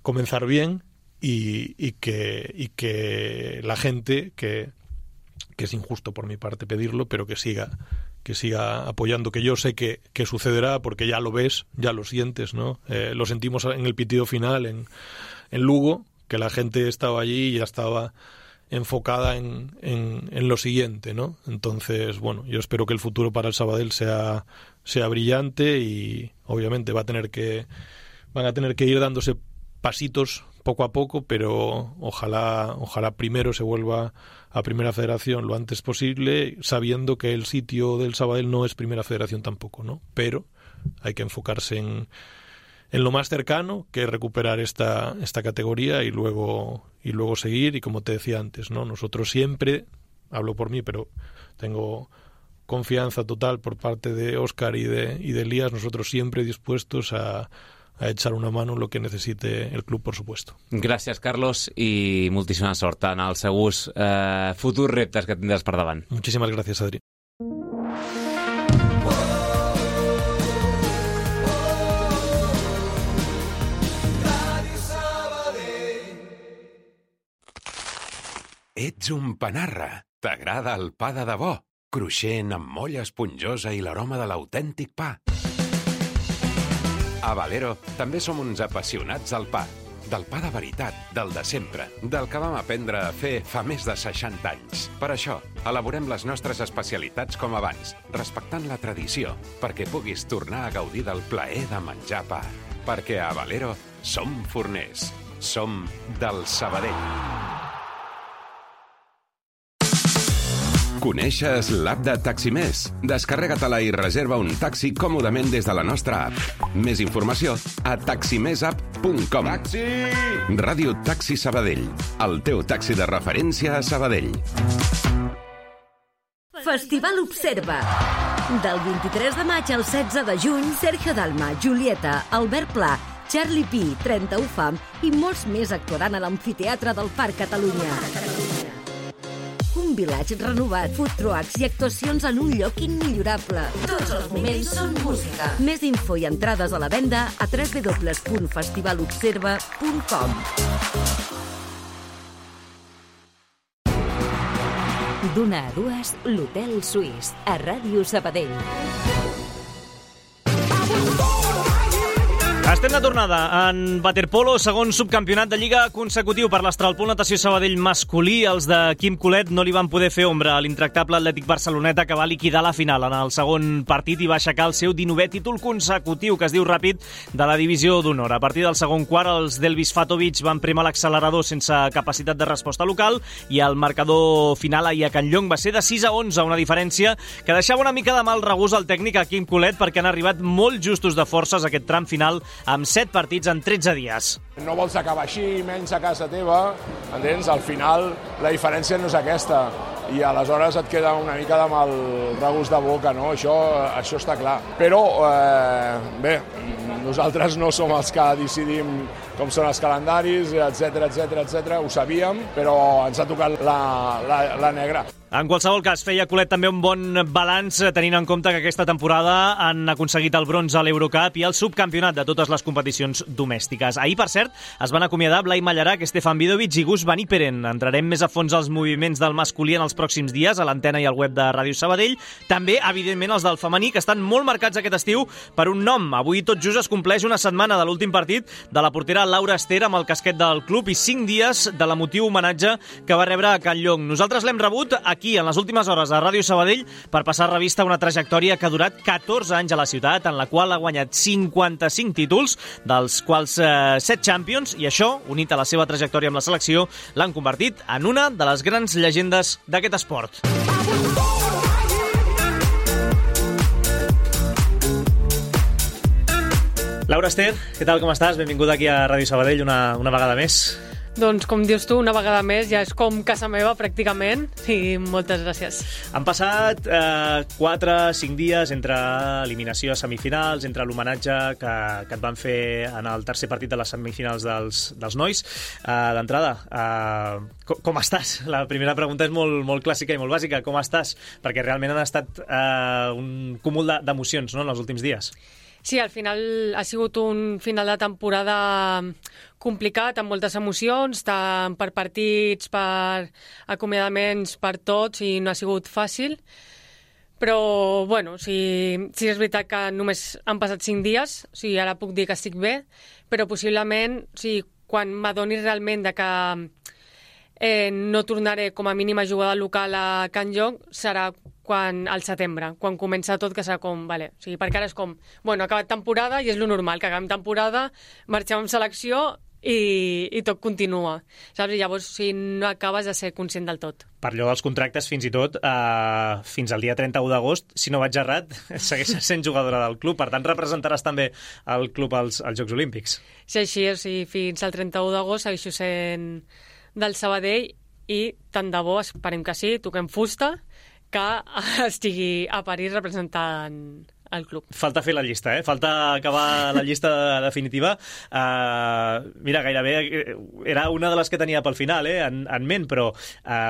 comenzar bien, y que la gente, que es injusto por mi parte pedirlo, pero que siga apoyando, que yo sé que sucederá, porque ya lo ves, ya lo sientes, ¿no? Lo sentimos en el pitido final en Lugo, que la gente estaba allí y ya estaba enfocada en lo siguiente, ¿no? Entonces, bueno, yo espero que el futuro para el Sabadell sea brillante, y obviamente van a tener que ir dándose pasitos poco a poco, pero ojalá primero se vuelva a Primera Federación lo antes posible, sabiendo que el sitio del Sabadell no es Primera Federación tampoco, ¿no? Pero hay que enfocarse en lo más cercano, que es recuperar esta categoría, y luego seguir. Y como te decía antes, ¿no?, nosotros siempre, hablo por mí, pero tengo confianza total por parte de Óscar y de Elías, nosotros siempre dispuestos a echar una mano en lo que necesite el club, por supuesto. Gràcies, Carlos, i moltíssima sort en els segurs futurs reptes que tindràs per davant. Muchísimas gracias, Adri. Ets un panarra. T'agrada el pa de debò, cruixent, amb molla esponjosa i l'aroma de l'autèntic pa. A Valero també som uns apassionats del pa. Del pa de veritat, del de sempre, del que vam aprendre a fer fa més de 60 anys. Per això, elaborem les nostres especialitats com abans, respectant la tradició, perquè puguis tornar a gaudir del plaer de menjar pa. Perquè a Valero som forners. Som del Sabadell. Coneixes l'app de Taximés? Descarrega-te-la i reserva un taxi còmodament des de la nostra app. Més informació a taximesapp.com. Taxi! Ràdio Taxi Sabadell, el teu taxi de referència a Sabadell. Festival Observa. Del 23 de maig al 16 de juny, Sergio Dalma, Julieta, Albert Pla, Charlie P, 31 Fam i molts més actuaran a l'Amfiteatre del Parc Catalunya. Un vilatge renovat, food trucks i actuacions en un lloc immillorable. Tots els moments són música. Més info i entrades a la venda a www.festivalobserva.com. D'una a dues, l'Hotel Suís, a Ràdio Sabadell. Estem de tornada en waterpolo, segon subcampionat de Lliga consecutiu per l'Astralpool Natació Sabadell masculí. Els de Quim Colet no li van poder fer ombra a l'intractable Atlètic Barceloneta, que va liquidar la final en el segon partit i va aixecar el seu 19è títol consecutiu, que es diu ràpid, de la divisió d'honor. A partir del segon quart, els d'Elvis Fatovic van primar l'accelerador sense capacitat de resposta local i el marcador final ahir a Can Llong va ser de 6-11, una diferència que deixava una mica de mal regust al tècnic a Quim Colet, perquè han arribat molt justos de forces a aquest tram final amb 7 partits en 13 dies. No vols acabar així, menys a casa teva, entens? Al final la diferència no és aquesta i aleshores et queda una mica de mal regust de boca, no? Això està clar. Però, bé, nosaltres no som els que decidim com són els calendaris, etc. Ho sabíem, però ens ha tocat la negra. En qualsevol cas, feia Colet també un bon balanç, tenint en compte que aquesta temporada han aconseguit el bronze a l'Eurocup i el subcampionat de totes les competicions domèstiques. Ahir, per cert, es van acomiadar Blai Mallarac, Stefan Vidovic i Gus Van Iperen. Entrarem més a fons als moviments del masculí en els pròxims dies a l'antena i al web de Ràdio Sabadell. També, evidentment, els del femení, que estan molt marcats aquest estiu per un nom. Avui tot just es compleix una setmana de l'últim partit de la portera Laura Ester amb el casquet del club i 5 dies de l'emotiu homenatge que va rebre a Can Llong. Nosaltres l'hem rebut aquí, en les últimes hores a Ràdio Sabadell, per passar revista a una trajectòria que ha durat 14 anys a la ciutat, en la qual ha guanyat 55 títols, dels quals 7 Champions, i això, unit a la seva trajectòria amb la selecció, l'han convertit en una de les grans llegendes d'aquest esport. Laura Ester, què tal, com estàs? Benvinguda aquí a Ràdio Sabadell una vegada més. Doncs, com dius tu, una vegada més, ja és com casa meva, pràcticament, i moltes gràcies. Han passat 4-5 dies entre eliminació a semifinals, entre l'homenatge que et van fer en el tercer partit de les semifinals dels nois. D'entrada, com estàs? La primera pregunta és molt clàssica i molt bàsica. Com estàs? Perquè realment han estat un cúmul d'emocions, no?, en els últims dies. Sí, al final ha sigut un final de temporada complicat, amb moltes emocions, tant per partits, per acomiadaments, per tots, i no ha sigut fàcil. Però, bueno, sí és veritat que només han passat 5 dies, ara puc dir que estic bé, però possiblement, quan m'adoni realment de que no tornaré com a mínim a jugar de local a Can Llong, serà al setembre, quan comença tot, que serà com, vale, perquè ara és com, bueno, ha acabat temporada i és lo normal, que acabem temporada, marxem amb selecció i tot continua, saps? I llavors, si no acabes de ser conscient del tot. Per allò dels contractes, fins i tot, fins al dia 31 d'agost, si no vaig errat, segueixes sent jugadora del club, per tant representaràs també el club als Jocs Olímpics. Sí, així, fins al 31 d'agost segueixo sent del Sabadell i tant de bo, esperem que sí, toquem fusta, que estigui a París representant el club. Falta fer la llista, falta acabar la llista definitiva. Mira, gairebé era una de les que tenia pel final en ment, però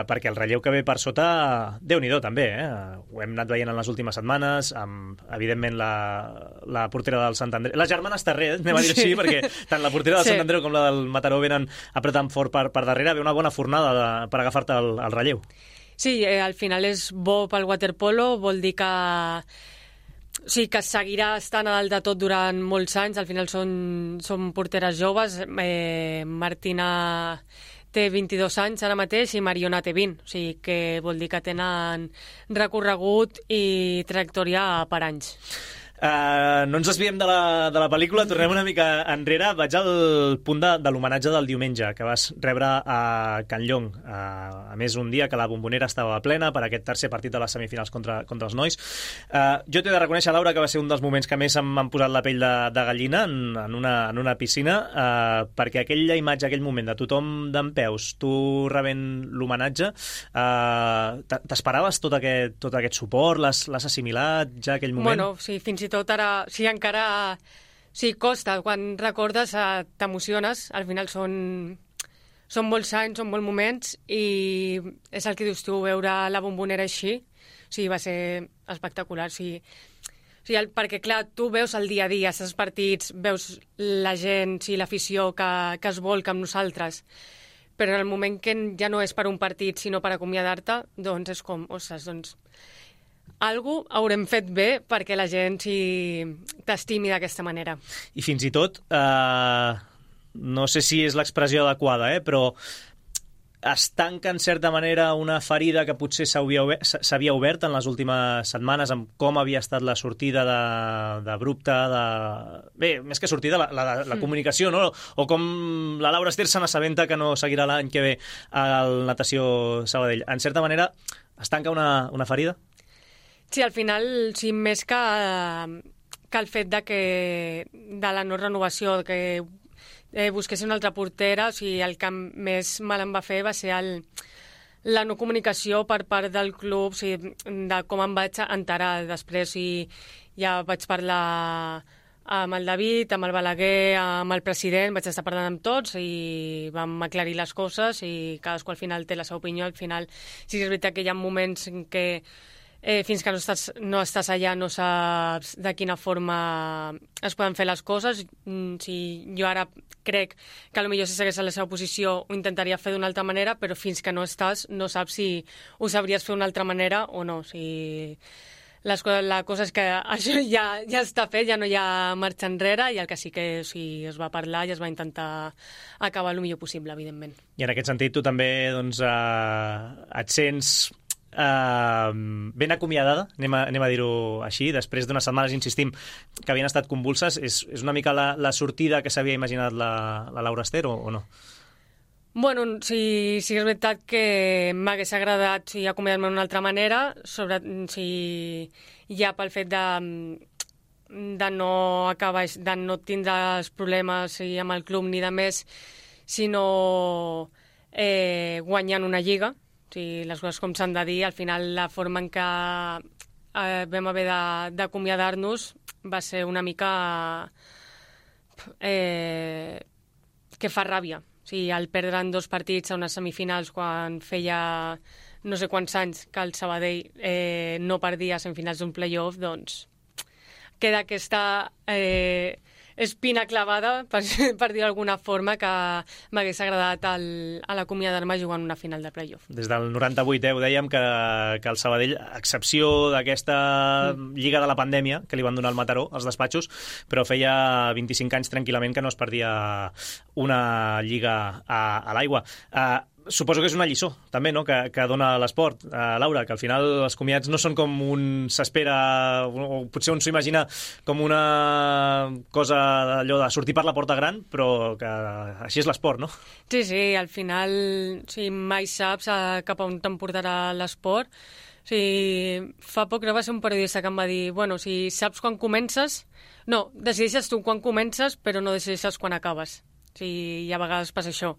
perquè el relleu que ve per sota, Déu-n'hi-do també, ho hem anat veient en les últimes setmanes, amb, evidentment, la portera del Sant Andreu, les germanes Terré, anem a dir així, perquè tant la portera del Sant Andreu com la del Mataró venen apretant fort per darrere, ve una bona fornada per agafar-te el relleu. Sí, al final és bo pel waterpolo, vol dir que sí, que seguirà estant a dalt de tot durant molts anys. Al final són porteres joves. Martina té 22 anys ara mateix i Mariona té 20. O sigui que vol dir que tenen recorregut i trajectòria per anys. No ens desviem de la pel·lícula, tornem una mica enrere. Vaig al punt de l'homenatge del diumenge que vas rebre a Can Llong, a més un dia que la Bombonera estava plena per aquest tercer partit de les semifinals contra els nois. Jo t'he de reconèixer, Laura, que va ser un dels moments que més m'han posat la pell de gallina en una piscina, perquè aquella imatge, aquell moment de tothom dempeus, tu rebent l'homenatge, t'esperaves tot aquest suport? L'has assimilat ja aquell moment? Bueno, sí, fins i tot ara, sí, encara sí, costa, quan recordes t'emociones, al final són molts anys, són molts moments i és el que dius tu, veure la Bombonera així, o sigui, va ser espectacular, o sigui, perquè clar, tu veus el dia a dia, els partits, veus la gent, l'afició que es volca amb nosaltres, però en el moment que ja no és per un partit sinó per acomiadar-te, doncs és com, ostres, doncs algú haurem fet bé perquè la gent t'estimi d'aquesta manera. I fins i tot, no sé si és l'expressió adequada, però es tanca en certa manera una ferida que potser s'havia obert en les últimes setmanes amb com havia estat la sortida d'abrupte, bé, més que sortida, la comunicació, no? O com la Laura Ester se n'assabenta que no seguirà l'any que ve al Natació Sabadell. En certa manera, es tanca una ferida? Sí, al final, sí, més que el fet de la no renovació, que busqués una altra portera, o sigui, el que més mal em va fer va ser la no comunicació per part del club, o sigui, de com em vaig enterar després. Ja vaig parlar amb el David, amb el Balaguer, amb el president, vaig estar parlant amb tots i vam aclarir les coses i cadascú al final té la seva opinió. Al final sí que és veritat que hi ha moments en què fins que no estàs allà no saps de quina forma es poden fer les coses. Jo ara crec que potser si segueix a la seva posició ho intentaria fer d'una altra manera, però fins que no estàs no saps si ho sabries fer d'una altra manera o no. La cosa és que això ja està fet, ja no hi ha marxa enrere, i el que sí que es va parlar i es va intentar acabar el millor possible, evidentment. I en aquest sentit tu també et sents ben acomiadada, anem a dir-ho així, després d'unes setmanes, insistim, que havien estat convulses. És una mica la sortida que s'havia imaginat la Laura Ester o no? Bueno, sí és veritat que m'hagués agradat acomiadar-me d'una altra manera, ja pel fet de no acabar, de no tindre els problemes amb el club ni de més, sinó guanyant una lliga. Les coses com s'han de dir, al final la forma en què vam haver d'acomiadar-nos va ser una mica que fa ràbia. El perdre en 2 partits a unes semifinals quan feia no sé quants anys que el Sabadell no perdia a semifinals d'un play-off, doncs queda aquesta espina clavada, per dir d'alguna forma, que m'hagués agradat a l'acomiadar-me jugant una final de play-off. Des del 98, ho dèiem, que el Sabadell, a excepció d'aquesta lliga de la pandèmia que li van donar al Mataró, als despatxos, però feia 25 anys tranquil·lament que no es perdia una lliga a l'aigua. Suposo que és una lliçó, també, no?, que dona l'esport, Laura, que al final els comiats no són com un s'espera, o potser un s'ho imagina com una cosa allò de sortir per la porta gran, però que així és l'esport, no? Sí, al final mai saps cap a on t'emportarà l'esport. Fa poc va ser un periodista que em va dir, bueno, si saps quan comences, decideixes tu quan comences, però no decideixes quan acabes. I a vegades passa això.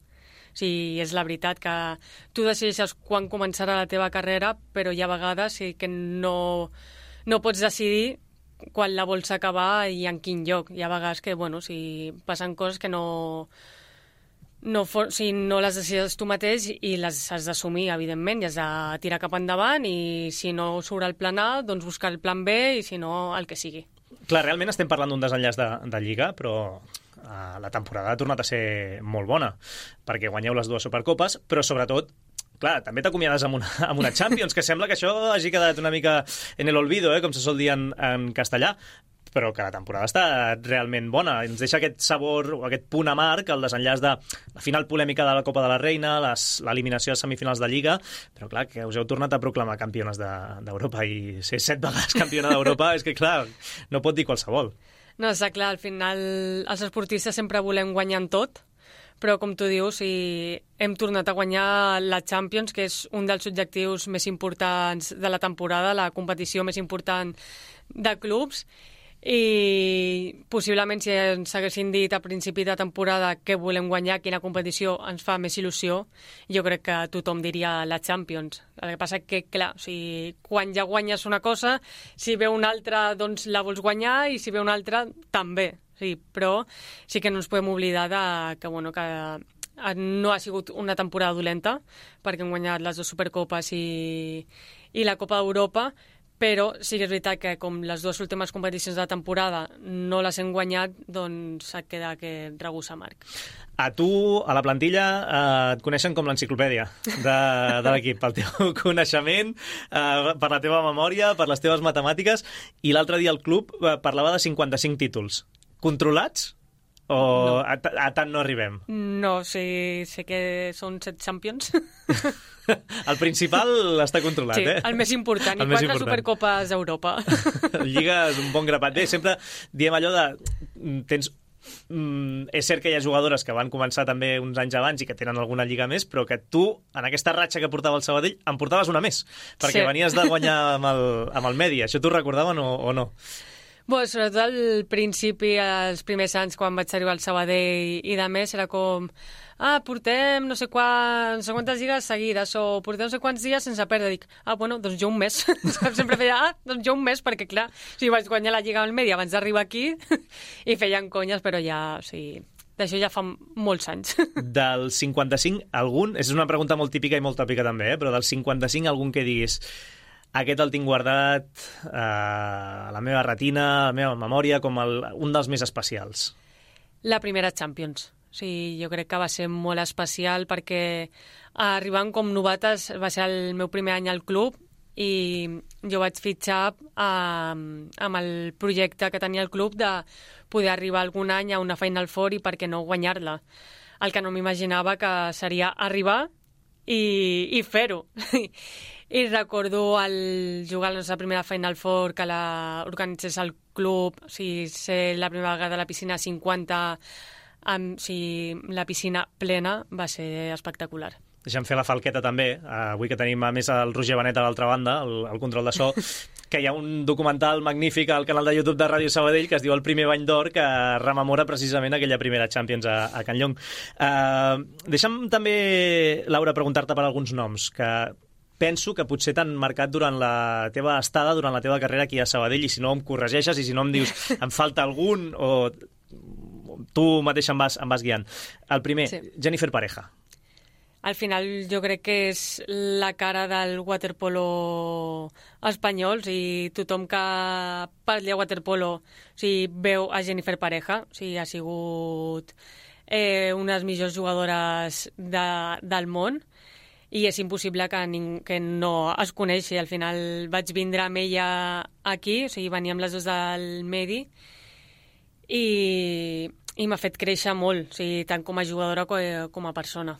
Sí, és la veritat que tu decideixes quan començarà la teva carrera, però hi ha vegades que no pots decidir quan la vols acabar i en quin lloc. Hi ha vegades que, si passen coses que no les decides tu mateix i les has d'assumir, evidentment, i has de tirar cap endavant i si no surt el plan A, doncs buscar el plan B i si no, el que sigui. Clar, realment estem parlant d'un desenllaç de Lliga, però la temporada ha tornat a ser molt bona, perquè guanyeu les 2 Supercopes, però sobretot, clar, també t'acomiades amb una Champions, que sembla que això hagi quedat una mica en el olvido, com se sol dir en castellà, però que la temporada ha estat realment bona. Ens deixa aquest sabor, o aquest punt amarg, el desenllaç de la final polèmica de la Copa de la Reina, l'eliminació a semifinals de Lliga, però clar, que us heu tornat a proclamar campiones d'Europa i ser 7 vegades campiona d'Europa, és que clar, no pot dir qualsevol. No, està clar, al final els esportistes sempre volem guanyar en tot, però com tu dius, hem tornat a guanyar la Champions, que és un dels objectius més importants de la temporada, la competició més important de clubs, i possiblement si ens haguessin dit a principi de temporada que volem guanyar, quina competició ens fa més il·lusió, jo crec que tothom diria la Champions. El que passa que, clar, quan ja guanyes una cosa, si ve una altra, doncs la vols guanyar, i si ve una altra, també. Sí, però sí que no ens podem oblidar que no ha sigut una temporada dolenta, perquè hem guanyat les 2 Supercopes i la Copa d'Europa, però sí que és veritat que com les 2 últimes competicions de la temporada no les hem guanyat, doncs et queda aquest regust amarg. A tu, a la plantilla, et coneixen com l'enciclopèdia de l'equip, pel teu coneixement, per la teva memòria, per les teves matemàtiques, i l'altre dia el club parlava de 55 títols. Controlats? O no. A tant no arribem? No, sé que són 7 Champions. El principal està controlat, sí, el més important, i 4 Supercopes d'Europa. Lliga és un bon grapat. Bé, sempre diem allò de... és cert que hi ha jugadores que van començar també uns anys abans i que tenen alguna lliga més, però que tu, en aquesta ratxa que portava el Sabadell, en portaves una més, perquè venies de guanyar amb el Medi. Això t'ho recordaven o no? Sobretot al principi, els primers anys, quan vaig arribar al Sabadell i de més, era com... portem no sé quantes lligues seguides, o portem no sé quants dies sense perdre. Dic, doncs jo un mes. Sempre feia, doncs jo un mes, perquè clar, vaig guanyar la lliga al Medi abans d'arribar aquí i feien conyes, però ja, d'això ja fa molts anys. Del 55, algun... És una pregunta molt típica i molt tòpica també, però del 55, algun que diguis... Aquest el tinc guardat a la meva retina, a la meva memòria, com un dels més especials. La primera Champions. Jo crec que va ser molt especial perquè arribant com novates va ser el meu primer any al club i jo vaig fitxar amb el projecte que tenia el club de poder arribar algun any a una Final Four i per què no guanyar-la. El que no m'imaginava que seria arribar i fer-ho. I recordo jugar a la nostra primera Final Four que organitzés el club, ser la primera vegada a la piscina 50, la piscina plena, va ser espectacular. Deixa'm fer la falqueta també, avui que tenim a més el Roger Benet a l'altra banda, el control de so, que hi ha un documental magnífic al canal de YouTube de Ràdio Sabadell que es diu El primer bany d'or, que rememora precisament aquella primera Champions a Can Llong. Deixa'm també, Laura, preguntar-te per alguns noms que penso que potser t'han marcat durant la teva estada, durant la teva carrera aquí a Sabadell, i si no em corregeixes, i si no em dius em falta algun, o tu mateix em vas guiant. El primer, Jennifer Pareja. Al final jo crec que és la cara del waterpolo espanyol, tothom que parli a waterpolo veu a Jennifer Pareja, ha sigut una de les millors jugadores del món, i és impossible que no es coneixi. Al final vaig vindre amb ella aquí, veníem les dues del Medi, i m'ha fet créixer molt, tant com a jugadora com a persona.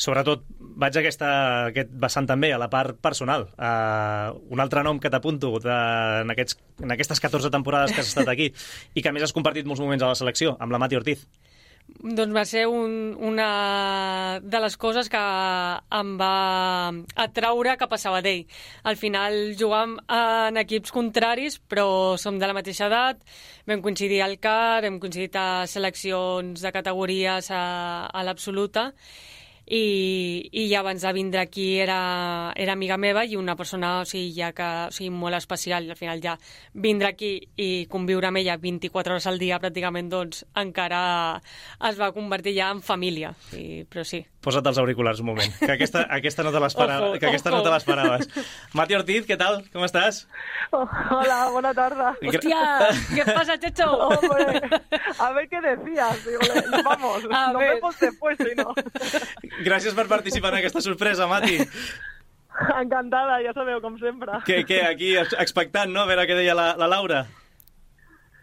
Sobretot, vaig a aquest vessant també, a la part personal. Un altre nom que t'apunto en aquestes 14 temporades que has estat aquí i que a més has compartit molts moments a la selecció, amb la Mati Ortiz. Doncs va ser una de les coses que em va atraure cap a Sabadell. Al final jugàvem en equips contraris, però som de la mateixa edat, vam coincidir al CAR, hem coincidit a seleccions de categories a l'absoluta, i ja abans de vindre aquí era amiga meva i una persona molt especial. Al final ja vindre aquí i conviure amb ella 24 hores al dia pràcticament, doncs encara es va convertir ja en família. Però sí. Posa't els auriculars un moment, que aquesta no te l'esperaves. Mati Ortiz, què tal? Com estàs? Hola, bona tarda. Hòstia, ¿qué pasa, Checho? Hombre, a ver qué decías. Digo, vamos, nos vemos después, si no. Gràcies per participar en aquesta sorpresa, Mati. Encantada, ja sabeu, com sempre. Què, aquí expectant, no? A veure què deia la Laura.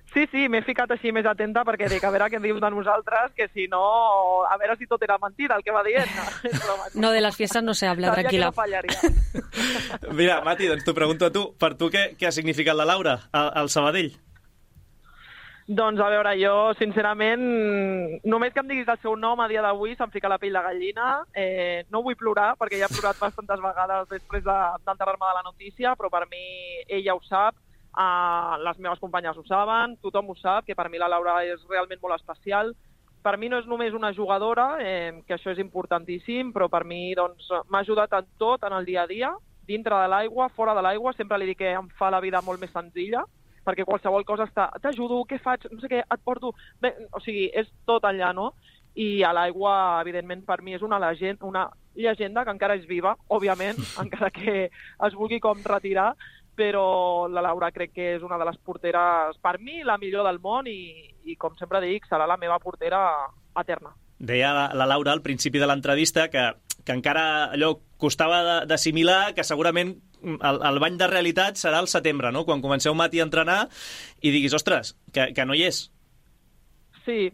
Sí, m'he ficat així més atenta perquè dic, a veure què dius de nosaltres, que si no, a veure si tot era mentida el que va dient. No, de les fiestes no se habla, tranquil·la. Sabia que no fallaria. Mira, Mati, doncs t'ho pregunto a tu. Per tu què ha significat la Laura al Sabadell? Doncs, a veure, jo, sincerament, només que em diguis el seu nom a dia d'avui se'm fica la pell de gallina. No vull plorar, perquè ja he plorat bastantes vegades després d'enterrar-me de la notícia, però per mi ella ho sap, les meves companyes ho saben, tothom ho sap, que per mi la Laura és realment molt especial. Per mi no és només una jugadora, que això és importantíssim, però per mi doncs, m'ha ajudat en tot, en el dia a dia, dintre de l'aigua, fora de l'aigua. Sempre li dic que em fa la vida molt més senzilla, perquè qualsevol cosa t'ajudo, què faig, no sé què, et porto... Bé, o sigui, és tot allà, no? I a l'aigua, evidentment, per mi és una llegenda que encara és viva, òbviament, encara que es vulgui com retirar, però la Laura crec que és una de les porteres, per mi, la millor del món i com sempre dic, serà la meva portera eterna. Deia la Laura al principi de l'entrevista que encara allò costava d'assimilar, que segurament el bany de realitat serà al setembre, no? Quan comenceu, Mati, a entrenar i diguis, ostres, que no hi és. Sí,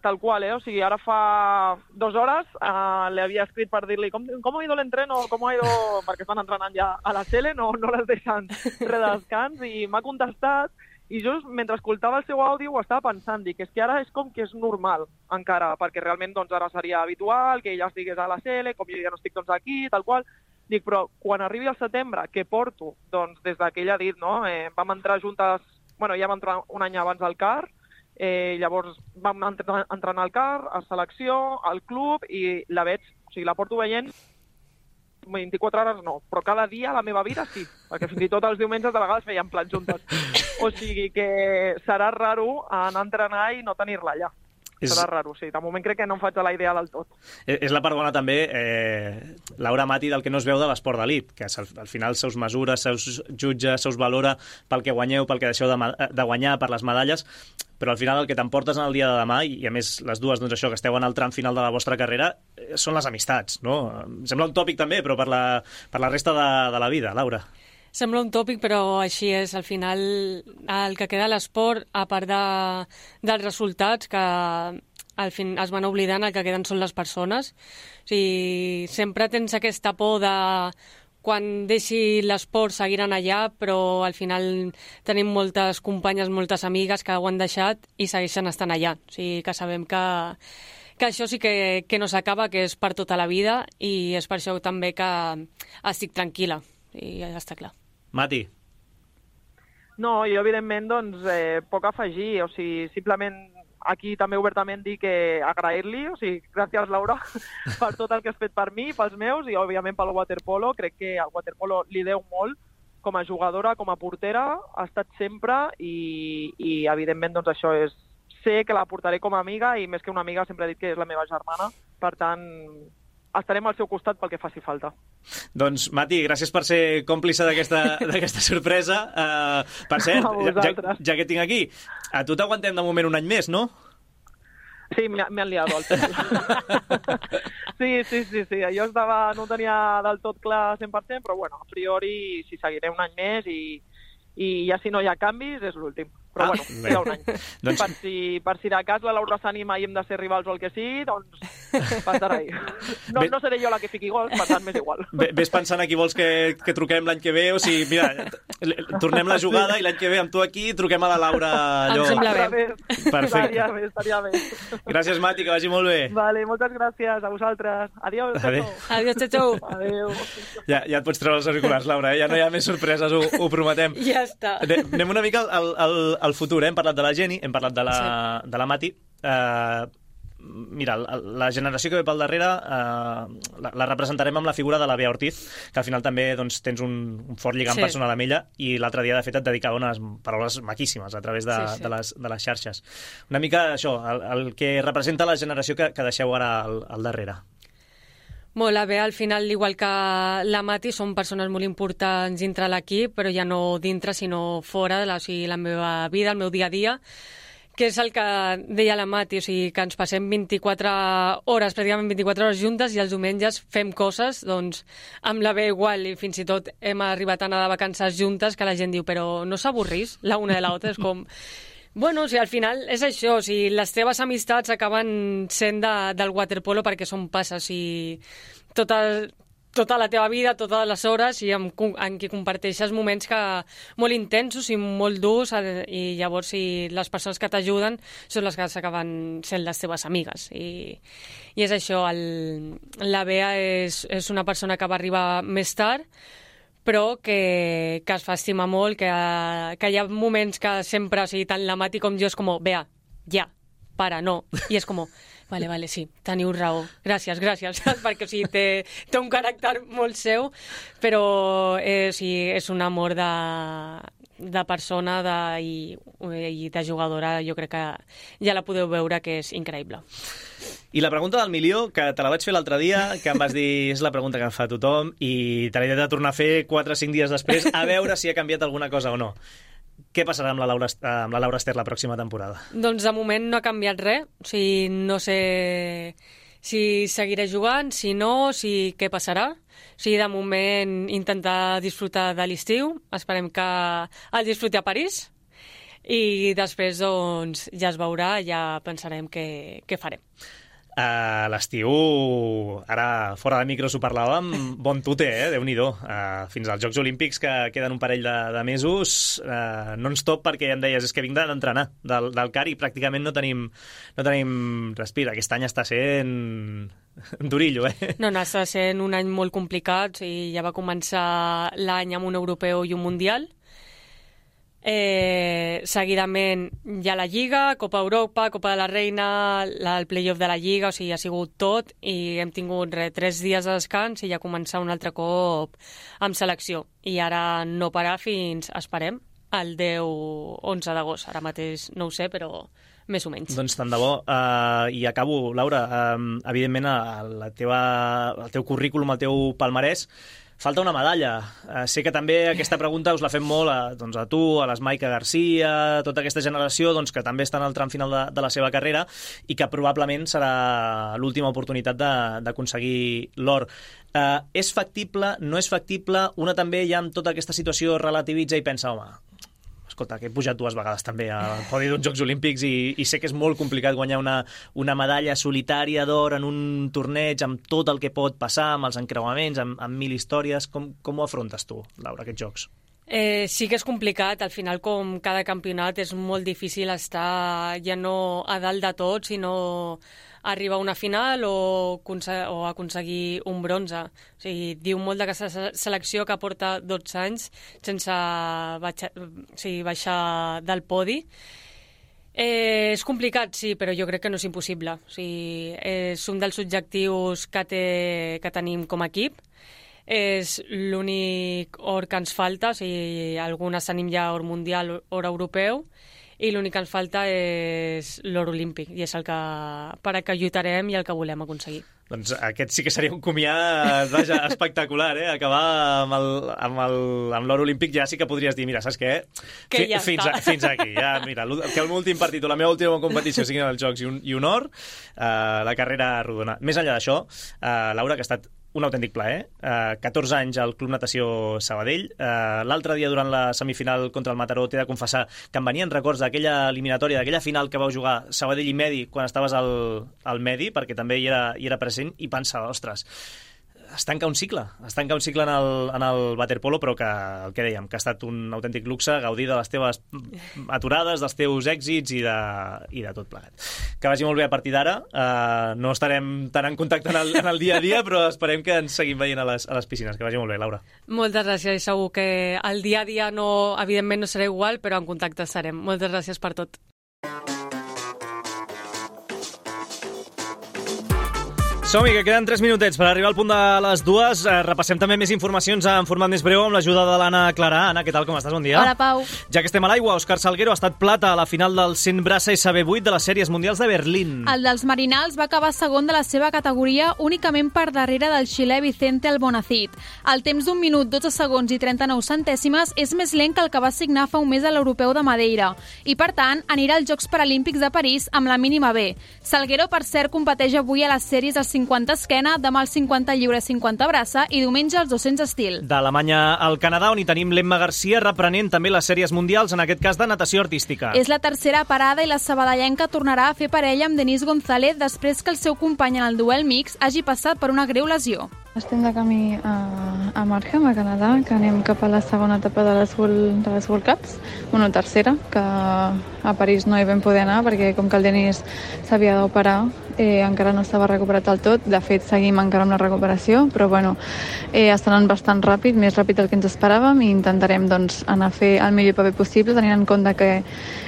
tal qual, O sigui, ara fa 2 hores le havia escrit per dir-li com ha ido l'entreno, perquè estan entrenant ja a la Sele, no les deixen res de descans, i m'ha contestat, i just mentre escoltava el seu àudio ho estava pensant, dic, és que ara és com que és normal encara, perquè realment doncs, ara seria habitual que ella estigués a la Sele, com jo ja no estic doncs, aquí, tal qual. Dic, però quan arribi el setembre, què porto? Doncs des que ella ha dit, no? Vam entrar juntes, ja vam entrar un any abans al CAR, llavors vam entrenar al CAR, a selecció, al club, i la veig, o sigui, la porto veient 24 hores no, però cada dia a la meva vida sí, perquè fins i tot els diumenges de vegades feien plans juntes. O sigui que serà raro anar a entrenar i no tenir-la allà. Serà raro, sí. De moment crec que no em faig a la idea del tot. És la part bona també, Laura, Mati, del que no es veu de l'esport d'elit, que al final seus mesures, seus jutges, seus valora pel que guanyeu, pel que deixeu de guanyar, per les medalles, però al final el que t'emportes en el dia de demà, i a més les dues, doncs això, que esteu en el tram final de la vostra carrera, són les amistats, no? Em sembla un tòpic també, però per la resta de la vida, Laura. Sembla un tòpic, però així és. Al final, el que queda a l'esport, a part dels resultats, que al fin es van oblidant, el que queden són les persones. O sigui, sempre tens aquesta por de quan deixi l'esport seguiran allà, però al final tenim moltes companyes, moltes amigues que ho han deixat i segueixen estant allà. O sigui, que sabem que això sí que no s'acaba, que és per tota la vida, i és per això també que estic tranquil·la. I ja està clar. Mati. No, jo evidentment doncs poc afegir, o sigui, simplement aquí també obertament dir que agrair-li, o sigui, gràcies Laura per tot el que has fet per mi, pels meus i òbviament pel waterpolo. Crec que al waterpolo li deu molt com a jugadora, com a portera, ha estat sempre i evidentment doncs això és, sé que la portaré com a amiga i més que una amiga sempre he dit que és la meva germana, per tant estarem al seu costat pel que faci falta. Doncs, Mati, gràcies per ser còmplice d'aquesta sorpresa. Per cert, ja que tinc aquí, a tu t'aguantem de moment un any més, no? Sí, me han liado al final. Sí. Jo no tenia del tot clar 100%, però bueno, a priori sí seguiré un any més i ja si no hi ha canvis és l'últim. Però bueno, queda un any. Doncs... Per si de cas la Laura s'anima i hem de ser rivals o el que sigui, doncs passarà ahí. No seré jo la que fiqui gols, per tant m'és igual. Ves pensant a qui vols que truquem l'any que ve, o sigui, mira, tornem la jugada i l'any que ve amb tu aquí truquem a la Laura allò. Em sembla bé. Perfecte. Estaria bé. Gràcies, Mati, que vagi molt bé. Vale, moltes gràcies a vosaltres. Adiós, Checho. Adéu. Ja et pots treure els auriculars, Laura, ja no hi ha més sorpreses, ho prometem. Ja està. Anem una mica al futur, hem parlat de la Jenny, hem parlat de la Mati. mira, la generació que ve pel darrere la representarem amb la figura de la Bea Ortiz, que al final també doncs, tens un fort lligam personal amb ella, i l'altre dia, de fet, et dedicava unes paraules maquíssimes a través de les xarxes. Una mica això, el que representa la generació que deixeu ara al darrere. Molt, la Bea, al final, igual que la Mati, són persones molt importants dintre l'equip, però ja no dintre, sinó fora, o sigui, la meva vida, el meu dia a dia, que és el que deia la Mati, o sigui, que ens passem 24 hores, pràcticament 24 hores juntes, i els diumenges fem coses, doncs, amb la Bea igual, i fins i tot hem arribat a anar de vacances juntes, que la gent diu, però no s'avorrís la una de l'altra, és com... Bueno, o sigui, al final és això, o sigui, les teves amistats acaben sent del waterpolo perquè són passes, i tota la teva vida, totes les hores, i en què comparteixes moments molt intensos i molt durs, i llavors les persones que t'ajuden són les que s'acaben sent les teves amigues. I és això, la Bea és una persona que va arribar més tard, però que es fa estimar molt, que hi ha moments que sempre, o sigui, tant la Mati com jo, és com, Bea, ja, para, no. I és com... Vale, sí, teniu raó. Gràcies, perquè o sigui, té un caràcter molt seu, però és un amor de persona i de jugadora, jo crec que ja la podeu veure que és increïble. I la pregunta del milió, que te la vaig fer l'altre dia, que em vas dir és la pregunta que em fa tothom, i te l'he de tornar a fer 4 o 5 dies després, a veure si ha canviat alguna cosa o no. Què passarà amb la Laura Ester la pròxima temporada? Doncs de moment no ha canviat res. O sigui, no sé si seguiré jugant, si no, què passarà. O sigui, de moment intentar disfrutar de l'estiu. Esperem que el disfruti a París. I després, doncs, ja es veurà, ja pensarem què farem. L'estiu, ara fora de micros ho parlàvem, bon tute, Déu-n'hi-do. Fins als Jocs Olímpics, que queden un parell de mesos, non-stop, perquè ja em deies, és que vinc d'entrenar del CAR i pràcticament no tenim respir. Aquest any està sent durillo, No, està sent un any molt complicat, i ja va començar l'any amb un europeu i un mundial. Seguidament hi ha la Lliga, Copa Europa, Copa de la Reina, el play-off de la Lliga, o sigui, ha sigut tot, i hem tingut 3 dies de descans i ja començar un altre cop amb selecció. I ara no parar fins, esperem, el 10-11 d'agost. Ara mateix no ho sé, però més o menys. Doncs tant de bo. I acabo, Laura, evidentment el teu currículum, el teu palmarès, falta una medalla. Sé que també aquesta pregunta us la fem molt a tu, a l'Esmaica Garcia, tota aquesta generació que també està en el tram final de la seva carrera i que probablement serà l'última oportunitat d'aconseguir l'or. És factible? No és factible? Una també ja amb tota aquesta situació relativitza i pensa, home, escolta, que he pujat 2 vegades també al podi d'uns Jocs Olímpics i sé que és molt complicat guanyar una medalla solitària d'or en un torneig amb tot el que pot passar, amb els encreuaments, amb 1000 històries. Com ho afrontes tu, Laura, aquests jocs? Sí que és complicat. Al final, com cada campionat, és molt difícil estar ja no a dalt de tot, sinó arribar a una final o aconseguir un bronze. O sigui, diu molt d'aquesta selecció que porta 12 anys sense baixar del podi. És complicat, sí, però jo crec que no és impossible. O sigui, és un dels objectius que tenim com a equip. És l'únic or que ens falta, o sigui, algunes tenim ja or mundial, or europeu, i l'únic que ens falta és l'or olímpic, i és el per a què lluitarem i el que volem aconseguir. Doncs aquest sí que seria un comiat, vaja, espectacular, acabar amb l'or olímpic. Ja sí que podries dir, mira, saps què? Que ja fins aquí, ja, mira, que l'últim partit o la meva última competició siguin els Jocs i un or, la carrera rodona. Més enllà d'això, Laura, que ha estat un autèntic plaer. 14 anys al Club Natació Sabadell. L'altre dia, durant la semifinal contra el Mataró, t'he de confessar que em venien records d'aquella eliminatòria, d'aquella final que vau jugar Sabadell i Medi quan estaves al Medi, perquè també hi era present, i pensava, ostres, es tanca un cicle en el waterpolo, però que el que dèiem, que ha estat un autèntic luxe gaudir de les teves aturades, dels teus èxits i de tot plegat. Que vagi molt bé a partir d'ara. No estarem tan en contacte en el dia a dia, però esperem que ens seguim veient a les piscines. Que vagi molt bé, Laura. Moltes gràcies, i segur que el dia a dia evidentment no serà igual, però en contacte estarem. Moltes gràcies per tot. Som-hi, que queden 3 minutets per arribar al punt de les 2. Repassem també més informacions en format més breu amb l'ajuda de l'Anna Clara. Anna, què tal, com estàs? Bon dia. Hola, Pau. Ja que estem a l'aigua, Òscar Salguero ha estat plata a la final del 100 braça SB8 de les sèries mundials de Berlín. El dels Marinals va acabar segon de la seva categoria únicament per darrere del xilè Vicente Albonacid. El temps d'1 minut, 12 segons i 39 centèsimes és més lent que el que va signar fa un mes a l'Europeu de Madeira i, per tant, anirà als Jocs Paralímpics de París amb la mínima B. Salguero, per cert, competeix avui a les sèries als 50 esquena, demà als 50 lliure 50 braça i diumenge als 200 estil. D'Alemanya al Canadà, on hi tenim l'Emma Garcia reprenent també les sèries mundials, en aquest cas de natació artística. És la tercera parada i la sabadellenca tornarà a fer parella amb Denise González després que el seu company en el duel mix hagi passat per una greu lesió. Estem de camí a Markham, a Canadà, que anem cap a la segona etapa de les World Cups, tercera, que a París no hi vam poder anar perquè com que el Denis s'havia d'operar, encara no estava recuperat del tot. De fet, seguim encara amb la recuperació, però està anant bastant ràpid, més ràpid del que ens esperàvem, i intentarem anar a fer el millor paper possible, tenint en compte que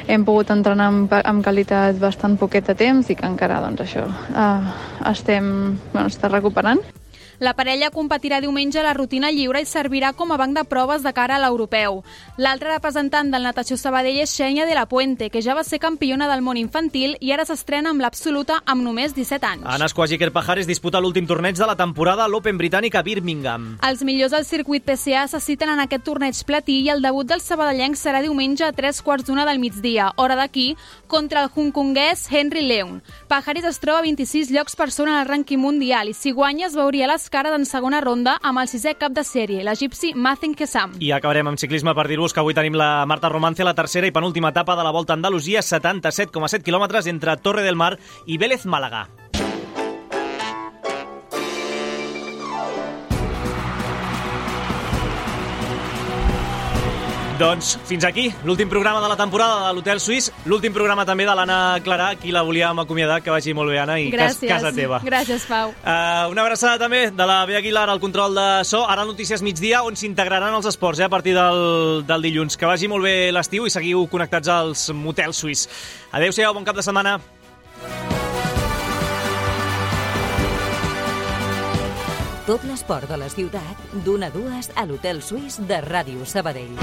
hem pogut entrenar amb qualitat bastant poquet de temps i que encara està recuperant. La parella competirà diumenge a la rutina lliure i servirà com a banc de proves de cara a l'europeu. L'altra representant del natació Sabadell és Xènia de la Puente, que ja va ser campiona del món infantil i ara s'estrena amb l'absoluta amb només 17 anys. Ana Squagiker Pajares disputa l'últim torneig de la temporada a l'Open britànic a Birmingham. Els millors del circuit PCA se citen en aquest torneig platí i el debut del sabadellenc serà diumenge a 3:15 del migdia, hora d'aquí, contra el hongkonguès Henry Leung. Pajares es troba a 26 llocs per sobre en el rànquing mundial i si guanya es veuria les cares en segona ronda amb el 6è cap de sèrie, l'egipci Mazen Kessam. I acabarem amb ciclisme per dir-vos que avui tenim la Marta Romance a la tercera i penúltima etapa de la Volta a Andalusia, 77,7 quilòmetres entre Torre del Mar i Vélez Màlaga. Doncs fins aquí l'últim programa de la temporada de l'Hotel Suís, l'últim programa també de l'Anna Clarà, qui la volíem acomiadar, que vagi molt bé, Anna, i casa teva. Gràcies, Pau. Una abraçada també de la Bea Aguilar al control de so, ara Notícies Migdia, on s'integraran els esports a partir del dilluns. Que vagi molt bé l'estiu i seguiu connectats als Motel Suís. Adéu-siau, bon cap de setmana. Tot l'esport de la ciutat, d'1 a 2 a l'Hotel Suís de Ràdio Sabadell.